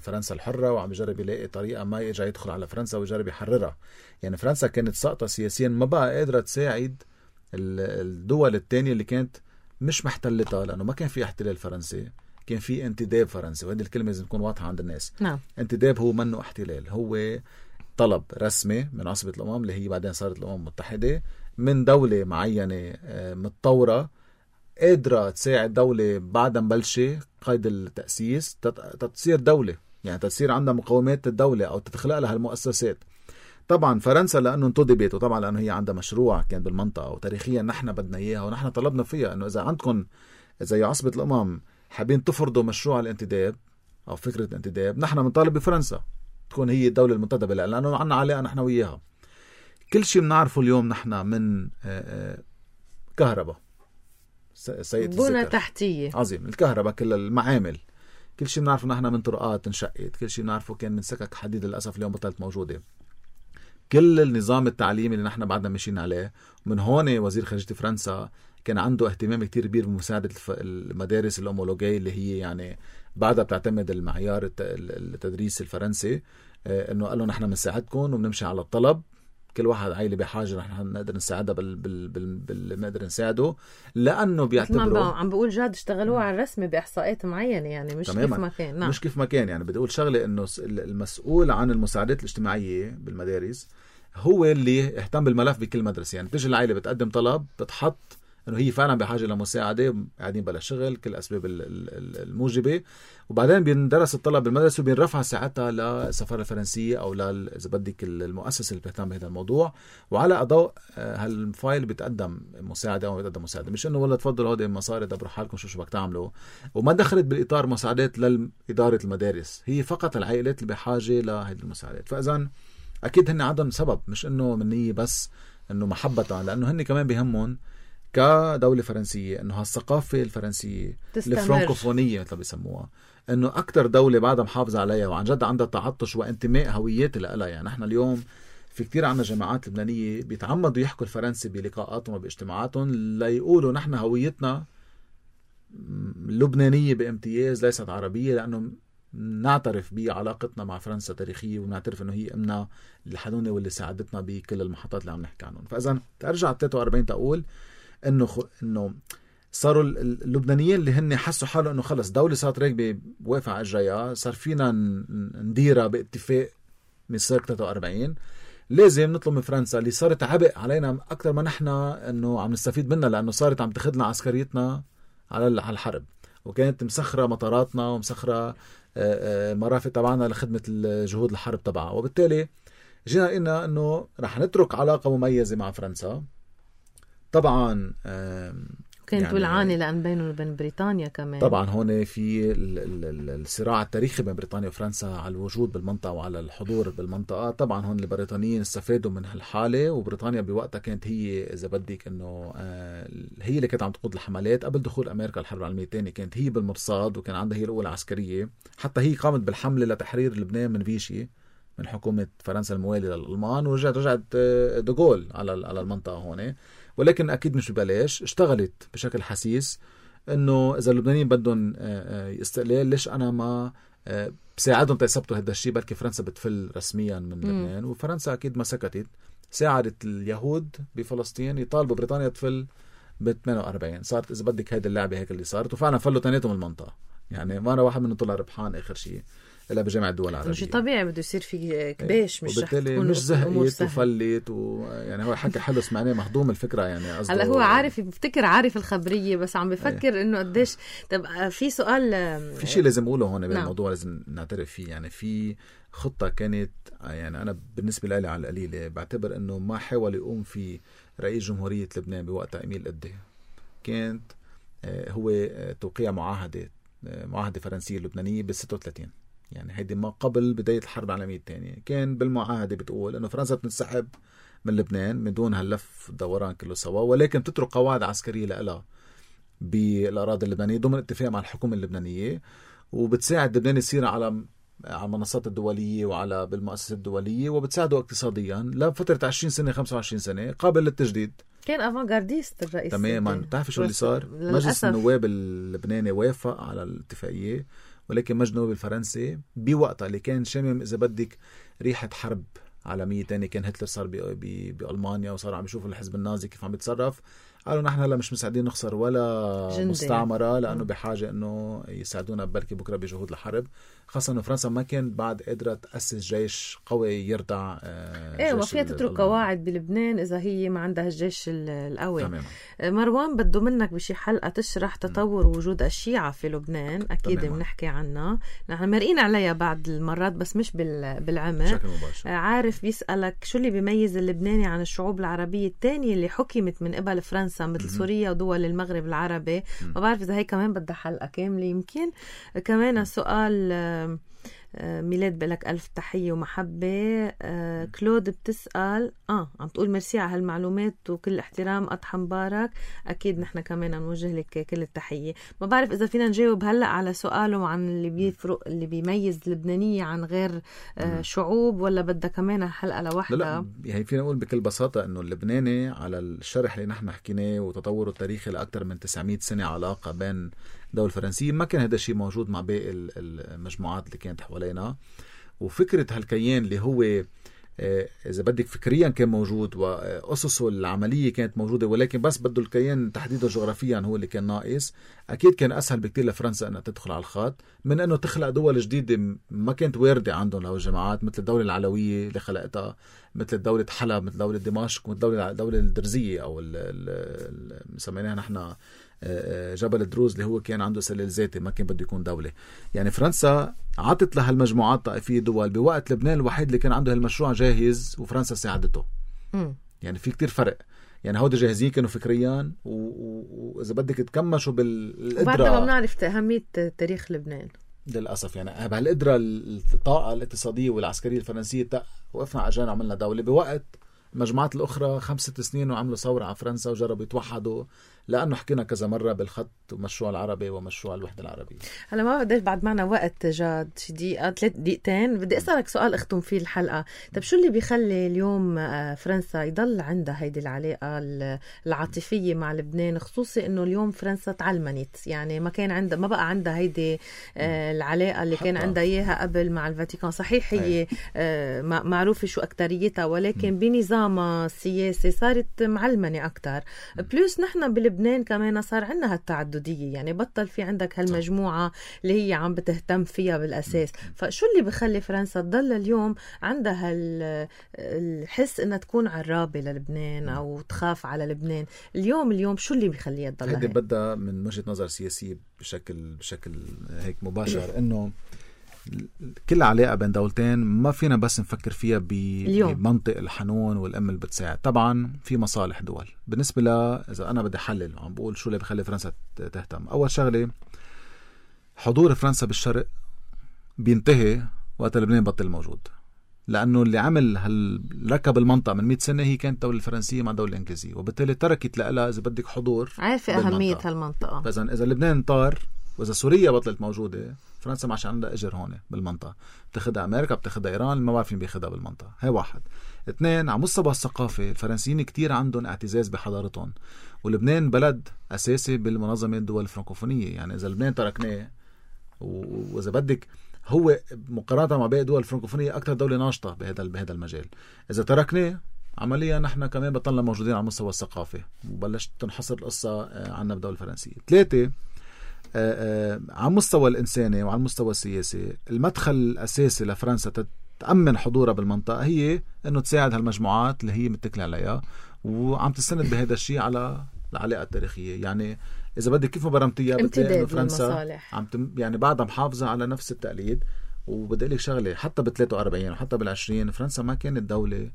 فرنسا الحرة وعم يجرب يلاقي طريقة ما يرجع يدخل على فرنسا ويجرب يحررها. يعني فرنسا كانت ساقطة سياسيا، ما بقى قادرة تساعد الدول الثانية اللي كانت مش محتلتها لأنه ما كان في احتلال فرنسي كان في انتداب فرنسي، وهذه الكلمة لازم تكون واضحة عند الناس. نعم. انتداب هو منه احتلال، هو طلب رسمي من عصبة الأمم اللي هي بعدين صارت الأمم المتحدة من دولة معينة متطورة قادرة تساعد دولة بعد مبلشة قيد التأسيس تتصير دولة، يعني تصير عندها مقومات الدولة أو تتخلق لها المؤسسات. طبعا فرنسا لأنه انتدبت، وطبعا لأنه هي عندها مشروع كان بالمنطقة وتاريخيا نحن بدنا إياها ونحن طلبنا فيها أنه إذا عندكم زي عصبة الأمم حابين تفرضوا مشروع الانتداب أو فكرة الانتداب، نحن بنطالب بفرنسا تكون هي الدولة المنتدبة لأنه عنا علاقة نحن وياها. كل شيء بنعرفه اليوم نحن من كهرباء، سيد بنى تحتية عظيم، الكهرباء كل المعامل، كل شيء بنعرفه نحن من طرقات انشقت، كل شيء بنعرفه كان من سكك حديد للأسف اليوم بطلت موجودة. كل النظام التعليمي اللي نحن بعدنا ماشيين عليه، من هون وزير خارجية فرنسا كان عنده اهتمام كتير كبير بمساعدة المدارس الأومولوجية اللي هي يعني بعدها بتعتمد المعيار التدريس الفرنسي، انه قال له نحن بنساعدكم وبنمشي على الطلب، كل واحد عائلة بحاجة نحن نقدر نساعدها بال بال بال بال نقدر نساعده، لأنه بيعتبروا عم بقول جاد اشتغلوها على الرسمي بإحصاءات معينة، يعني مش تماماً. كيف ما كان. نعم. مش كيف ما كان، يعني بدي أقول شغلة إنه المسؤول عن المساعدات الاجتماعية بالمدارس هو اللي اهتم بالملف بكل مدرسة. يعني بتجي العائلة بتقدم طلب، بتحط انه هي فعلا بحاجه لمساعده، قاعدين بلا شغل، كل الاسباب الموجبه، وبعدين بيندرس الطلب بالمدرسه وبينرفع ساعتها للسفاره الفرنسيه او ل اذا بدك المؤسسه اللي بتهتم بهذا الموضوع، وعلى اضواء هالفايل بيتقدم مساعده او بيتقدم مساعده، مش انه والله تفضلوا هودي مصاري دبروا حالكم شو شو بدك تعملوا. وما دخلت بالاطار مساعدات لاداره المدارس، هي فقط العائلات اللي بحاجه لهذه المساعدات. فاذا اكيد هن عندهم سبب، مش انه منيه بس انه محبه، لانه هن كمان بهمهم كدولة فرنسية انه هالثقافة الفرنسية الفرنكوفونية مثل بيسموها، انه اكتر دولة بعدها محافظة عليها وعن جد عندها تعطش وانتماء هويتي لها. يعني احنا اليوم في كتير عنا جماعات لبنانية بيتعمدوا يحكوا الفرنسي بلقاءاتهم وباجتماعاتهم ليقولوا نحن هويتنا لبنانية بامتياز ليست عربية، لانه نعترف بعلاقتنا مع فرنسا تاريخية ونعترف انه هي امنا اللي حدونا واللي ساعدتنا بكل المحطات اللي عم نحكي عنهم. فاذا ترجع ثلاثة وأربعين تقول انه خ... انه صاروا اللبنانيين اللي هن حسوا حاله انه خلص دولة صارت راكبة واقفة على اجريها، صار فينا نديرها باتفاق من سنة ثلاثة وأربعين، لازم نطلب من فرنسا اللي صارت عبء علينا اكثر ما نحن انه عم نستفيد منها، لانه صارت عم تاخذنا عسكريتنا على الحرب، وكانت مسخرة مطاراتنا ومسخرة مرافق تبعنا لخدمة الجهود الحرب تبعها، وبالتالي جينا قلنا انه رح نترك علاقة مميزة مع فرنسا. طبعا كانت يعني بالعاني لأن بينه وبين بريطانيا كمان. طبعا هون في الصراع التاريخي بين بريطانيا وفرنسا على الوجود بالمنطقة وعلى الحضور بالمنطقة. طبعا هون البريطانيين استفادوا من هالحالة، وبريطانيا بوقتها كانت هي إذا بدك إنه هي اللي كانت عم تقود الحملات قبل دخول أمريكا الحرب العالمية الثانية، كانت هي بالمرصاد وكان عندها هي الأولى عسكرية، حتى هي قامت بالحملة لتحرير لبنان من فيشي من حكومة فرنسا الموالية للألمان، ورجعت رجعت دوغول على على المنطقة هون. ولكن أكيد مش ببلاش، اشتغلت بشكل حسيس إنه إذا اللبنانيين بدهم استقلال ليش أنا ما بساعدهم تيثبتوا هذا الشيء، بلكي فرنسا بتفل رسميا من لبنان. وفرنسا أكيد ما سكتت، ساعدت اليهود بفلسطين يطالبوا بريطانيا تفل ب ثمانية وأربعين. صارت إذا بدك هيدا اللعبة هيك اللي صارت، وفعلا فلوا تناتهم المنطقة، يعني ما أنا واحد منهم طلع ربحان آخر شيء إلا بجامعة الدول العربية. مش طبيعي بده يصير في كباش، مش رح تكون مش زهقت وفلت ويعني هو حكي حلو سمعناه مهضوم الفكرة. يعني هلا هو عارف بفتكر عارف الخبرية، بس عم بفكر إنه قديش. طب في سؤال، في شيء لازم أقوله هون بالموضوع، لازم نعترف فيه. يعني في خطة كانت، يعني أنا بالنسبة لي على القليلة بعتبر إنه ما حاول يقوم في رئيس جمهورية لبنان بوقتها إميل قدي، كانت هو توقيع معاهدة معاهدة فرنسية لبنانية بالستة وثلاثين، يعني هيدي ما قبل بداية الحرب العالمية الثانية. كان بالمعاهدة بتقول إنه فرنسا بتنسحب من لبنان من دون هاللف دوران كله سوا، ولكن تترك قواعد عسكرية لها بالأراضي اللبنانية ضمن اتفاق مع الحكومة اللبنانية، وبتساعد لبنان يصير على على المنصات الدولية وعلى بالمؤسسات الدولية، وبتساعده اقتصاديا لفترة عشرين سنة خمسة وعشرين سنة قابل للتجديد. كان افانغارديست الرئيس تماما. بتعرفي شو اللي صار؟ مجلس النواب اللبناني وافق على الاتفاقية، ولكن مجلس النواب الفرنسي بوقتها اللي كان شامم إذا بدك ريحة حرب عالمية تانية، كان هتلر صار بألمانيا وصار عم يشوفوا الحزب النازي كيف عم يتصرف، قالوا نحن هلا مش مساعدين نخسر ولا جندي. مستعمرة لأنه بحاجة إنه يساعدونا بركي بكرة بجهود الحرب، خاصة إنه فرنسا ما كان بعد قادرة تأسس جيش قوي يرتع. آه ايه ما فيها تترك قواعد بلبنان إذا هي ما عندها الجيش القوي. تماما. مروان بده منك بشي حلقة تشرح تطور وجود الشيعة في لبنان، أكيد بنحكي عنها، نحن مرقين عليها بعد المرات بس مش بالعمق. بشكل مباشر. عارف بيسألك شو اللي بيميز اللبناني عن الشعوب العربية التانية اللي حكمت من قبل فرنسا مثل سوريا ودول المغرب العربي. ما بعرف إذا هي كمان بدها حلقة كاملة يمكن. كمان سؤال ميلاد بلك ألف تحية ومحبة. آه كلود بتسأل آه عم تقول ميرسي على هالمعلومات وكل احترام أضحى مبارك. أكيد نحن كمان نوجه لك كل التحية. ما بعرف إذا فينا نجاوب هلأ على سؤاله عن اللي بيفرق اللي بيميز اللبنانية عن غير آه شعوب، ولا بدها كمان حلقة لوحدها؟ لا لا يعني فينا نقول بكل بساطة إنه اللبناني على الشرح اللي نحن حكيناه وتطوره التاريخي لأكثر من تسعمية سنة علاقة بين الدولة الفرنسية، ما كان هذا الشيء موجود مع باقي المجموعات اللي كانت حوالينا. وفكرة هالكيان اللي هو إذا بدك فكريا كان موجود وأسسه العملية كانت موجودة، ولكن بس بده الكيان تحديده جغرافيا هو اللي كان ناقص. أكيد كان أسهل بكتير لفرنسا أنها تدخل على الخط من أنه تخلق دول جديدة ما كانت واردة عندهم لو الجماعات، مثل الدولة العلوية اللي خلقتها، مثل دولة حلب، مثل دولة دمشق، مثل دولة دولة الدرزية أو مسميناها نحن جبل الدروز اللي هو كان عنده سلال ذاتي ما كان بده يكون دولة. يعني فرنسا عطت لها المجموعات الطائفية دول بوقت لبنان الوحيد اللي كان عنده هالمشروع جاهز وفرنسا ساعدته. م. يعني في كتير فرق. يعني هودي جاهزين كانوا فكريا وإذا بدك تكمشوا بالقدرة. وبعدنا ما بنعرف أهمية تاريخ لبنان للأسف. يعني بهالقدرة الطاقة الاقتصادية والعسكرية الفرنسية وقفنا عجان وعملنا دولة بوقت المجموعات الأخرى خمس ست سنين وعملوا ثورة على فرنسا وجربوا يتوحدوا، لأنه حكينا كذا مرة بالخط ومشروع العربي ومشروع الوحدة العربية. هلا ما بديش بعد معنا وقت جاد شي دقيقة ثلاث دقيقتين بدي أسألك سؤال أختم فيه الحلقة. طب شو اللي بيخلي اليوم فرنسا يضل عندها هيدي العلاقة العاطفية مع لبنان، خصوصي إنه اليوم فرنسا تعلمنت، يعني ما كان عندها ما بقى عندها هيدي العلاقة اللي كان عندها إياها قبل مع الفاتيكان. صحيح هي معروفة شو أكتريتها، ولكن بنظامها السياسي صارت معلمنة أكتر. بلوس نحن بلبنان كمان صار عندنا هالتعددية، يعني بطل في عندك هالمجموعة اللي هي عم بتهتم فيها بالأساس. فشو اللي بخلي فرنسا تضل اليوم عندها الحس إنها تكون عرابة للبنان أو تخاف على لبنان اليوم اليوم شو اللي بيخليها تضل هيك؟ هيدي بدها من وجهة نظر سياسية بشكل بشكل هيك مباشر، إنه كل علاقة بين دولتين ما فينا بس نفكر فيها بمنطق الحنون والأم اللي بتساعد. طبعا في مصالح دول. بالنسبة لا إذا أنا بدي حلل وعم بقول شو اللي بخلي فرنسا تهتم، أول شغلة حضور فرنسا بالشرق بينتهي وقت لبنان بطل موجود، لأنه اللي عمل هالركب المنطقة من مئة سنة هي كانت الدولة الفرنسية مع الدولة الإنجليزية، وبالتالي تركت لها إذا بدك حضور. عارفة أهمية هالمنطقة. فإذا إذا لبنان طار وإذا سوريا بطلت موجودة، فرنسا ما عادش عندها أجر هون بالمنطقة. بتاخدها أمريكا، بتاخدها إيران، ما بعرفين بياخدها بالمنطقة. هاي واحد. اثنين، على مستوى الثقافة الفرنسيين كتير عندهم اعتزاز بحضارتهم، ولبنان بلد أساسي بالمنظمة الدول الفرنكوفونية. يعني إذا لبنان تركناه وإذا بدك هو مقارنة مع باقي الدول الفرنكوفونية أكثر دولة ناشطة بهذا بهذا المجال، إذا تركناه عمليا نحن كمان بطلنا موجودين على مستوى الثقافة وبلشت تنحصر القصة عنا بالدولة الفرنسية. ثلاثة، آه آه على المستوى الإنساني وعلى المستوى السياسي المدخل الأساسي لفرنسا تأمن حضورها بالمنطقة هي أنه تساعد هالمجموعات اللي هي متكلة عليها وعم تستند بهذا الشيء على العلاقة التاريخية. يعني إذا بدك كيف ما برمتيها بتلاقي إنه فرنسا عم تم يعني بعدها محافظة على نفس التقليد. وبدي لك شغلة، حتى بثلاثة وأربعين وحتى بالعشرين فرنسا ما كانت دولة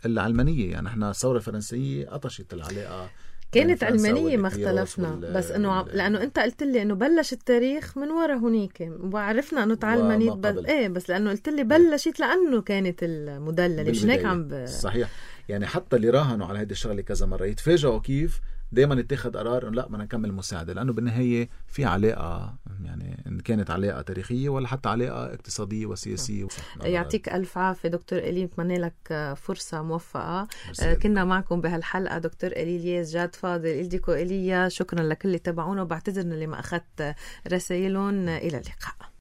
إلا علمانية. يعني إحنا الثورة الفرنسية قطشت العلاقة، كانت علمانية ما اختلفنا، بس انه لانه انت قلت لي انه بلش التاريخ من ورا هونيك وعرفنا انه تعلمانية بس ايه بس لانه قلت لي بلشت لانه كانت المدلله مش هيك عم ب... صحيح. يعني حتى اللي راهنوا على هيدي الشغله كذا مره يتفاجئوا كيف دائما يتخذ قرار انه لا بدنا نكمل مساعده، لانه بالنهايه في علاقه، يعني ان كانت علاقه تاريخيه ولا حتى علاقه اقتصاديه وسياسيه. يعطيك الف عافيه دكتور إلي، بتمنى لك فرصه موفقه. كنا معكم بهالحلقه دكتور إلي الياس، جاد فاضل، إلديكو إيليا. شكرا لكل اللي تابعونا وبعتذر اللي ما اخذت رسائلهم. الى اللقاء.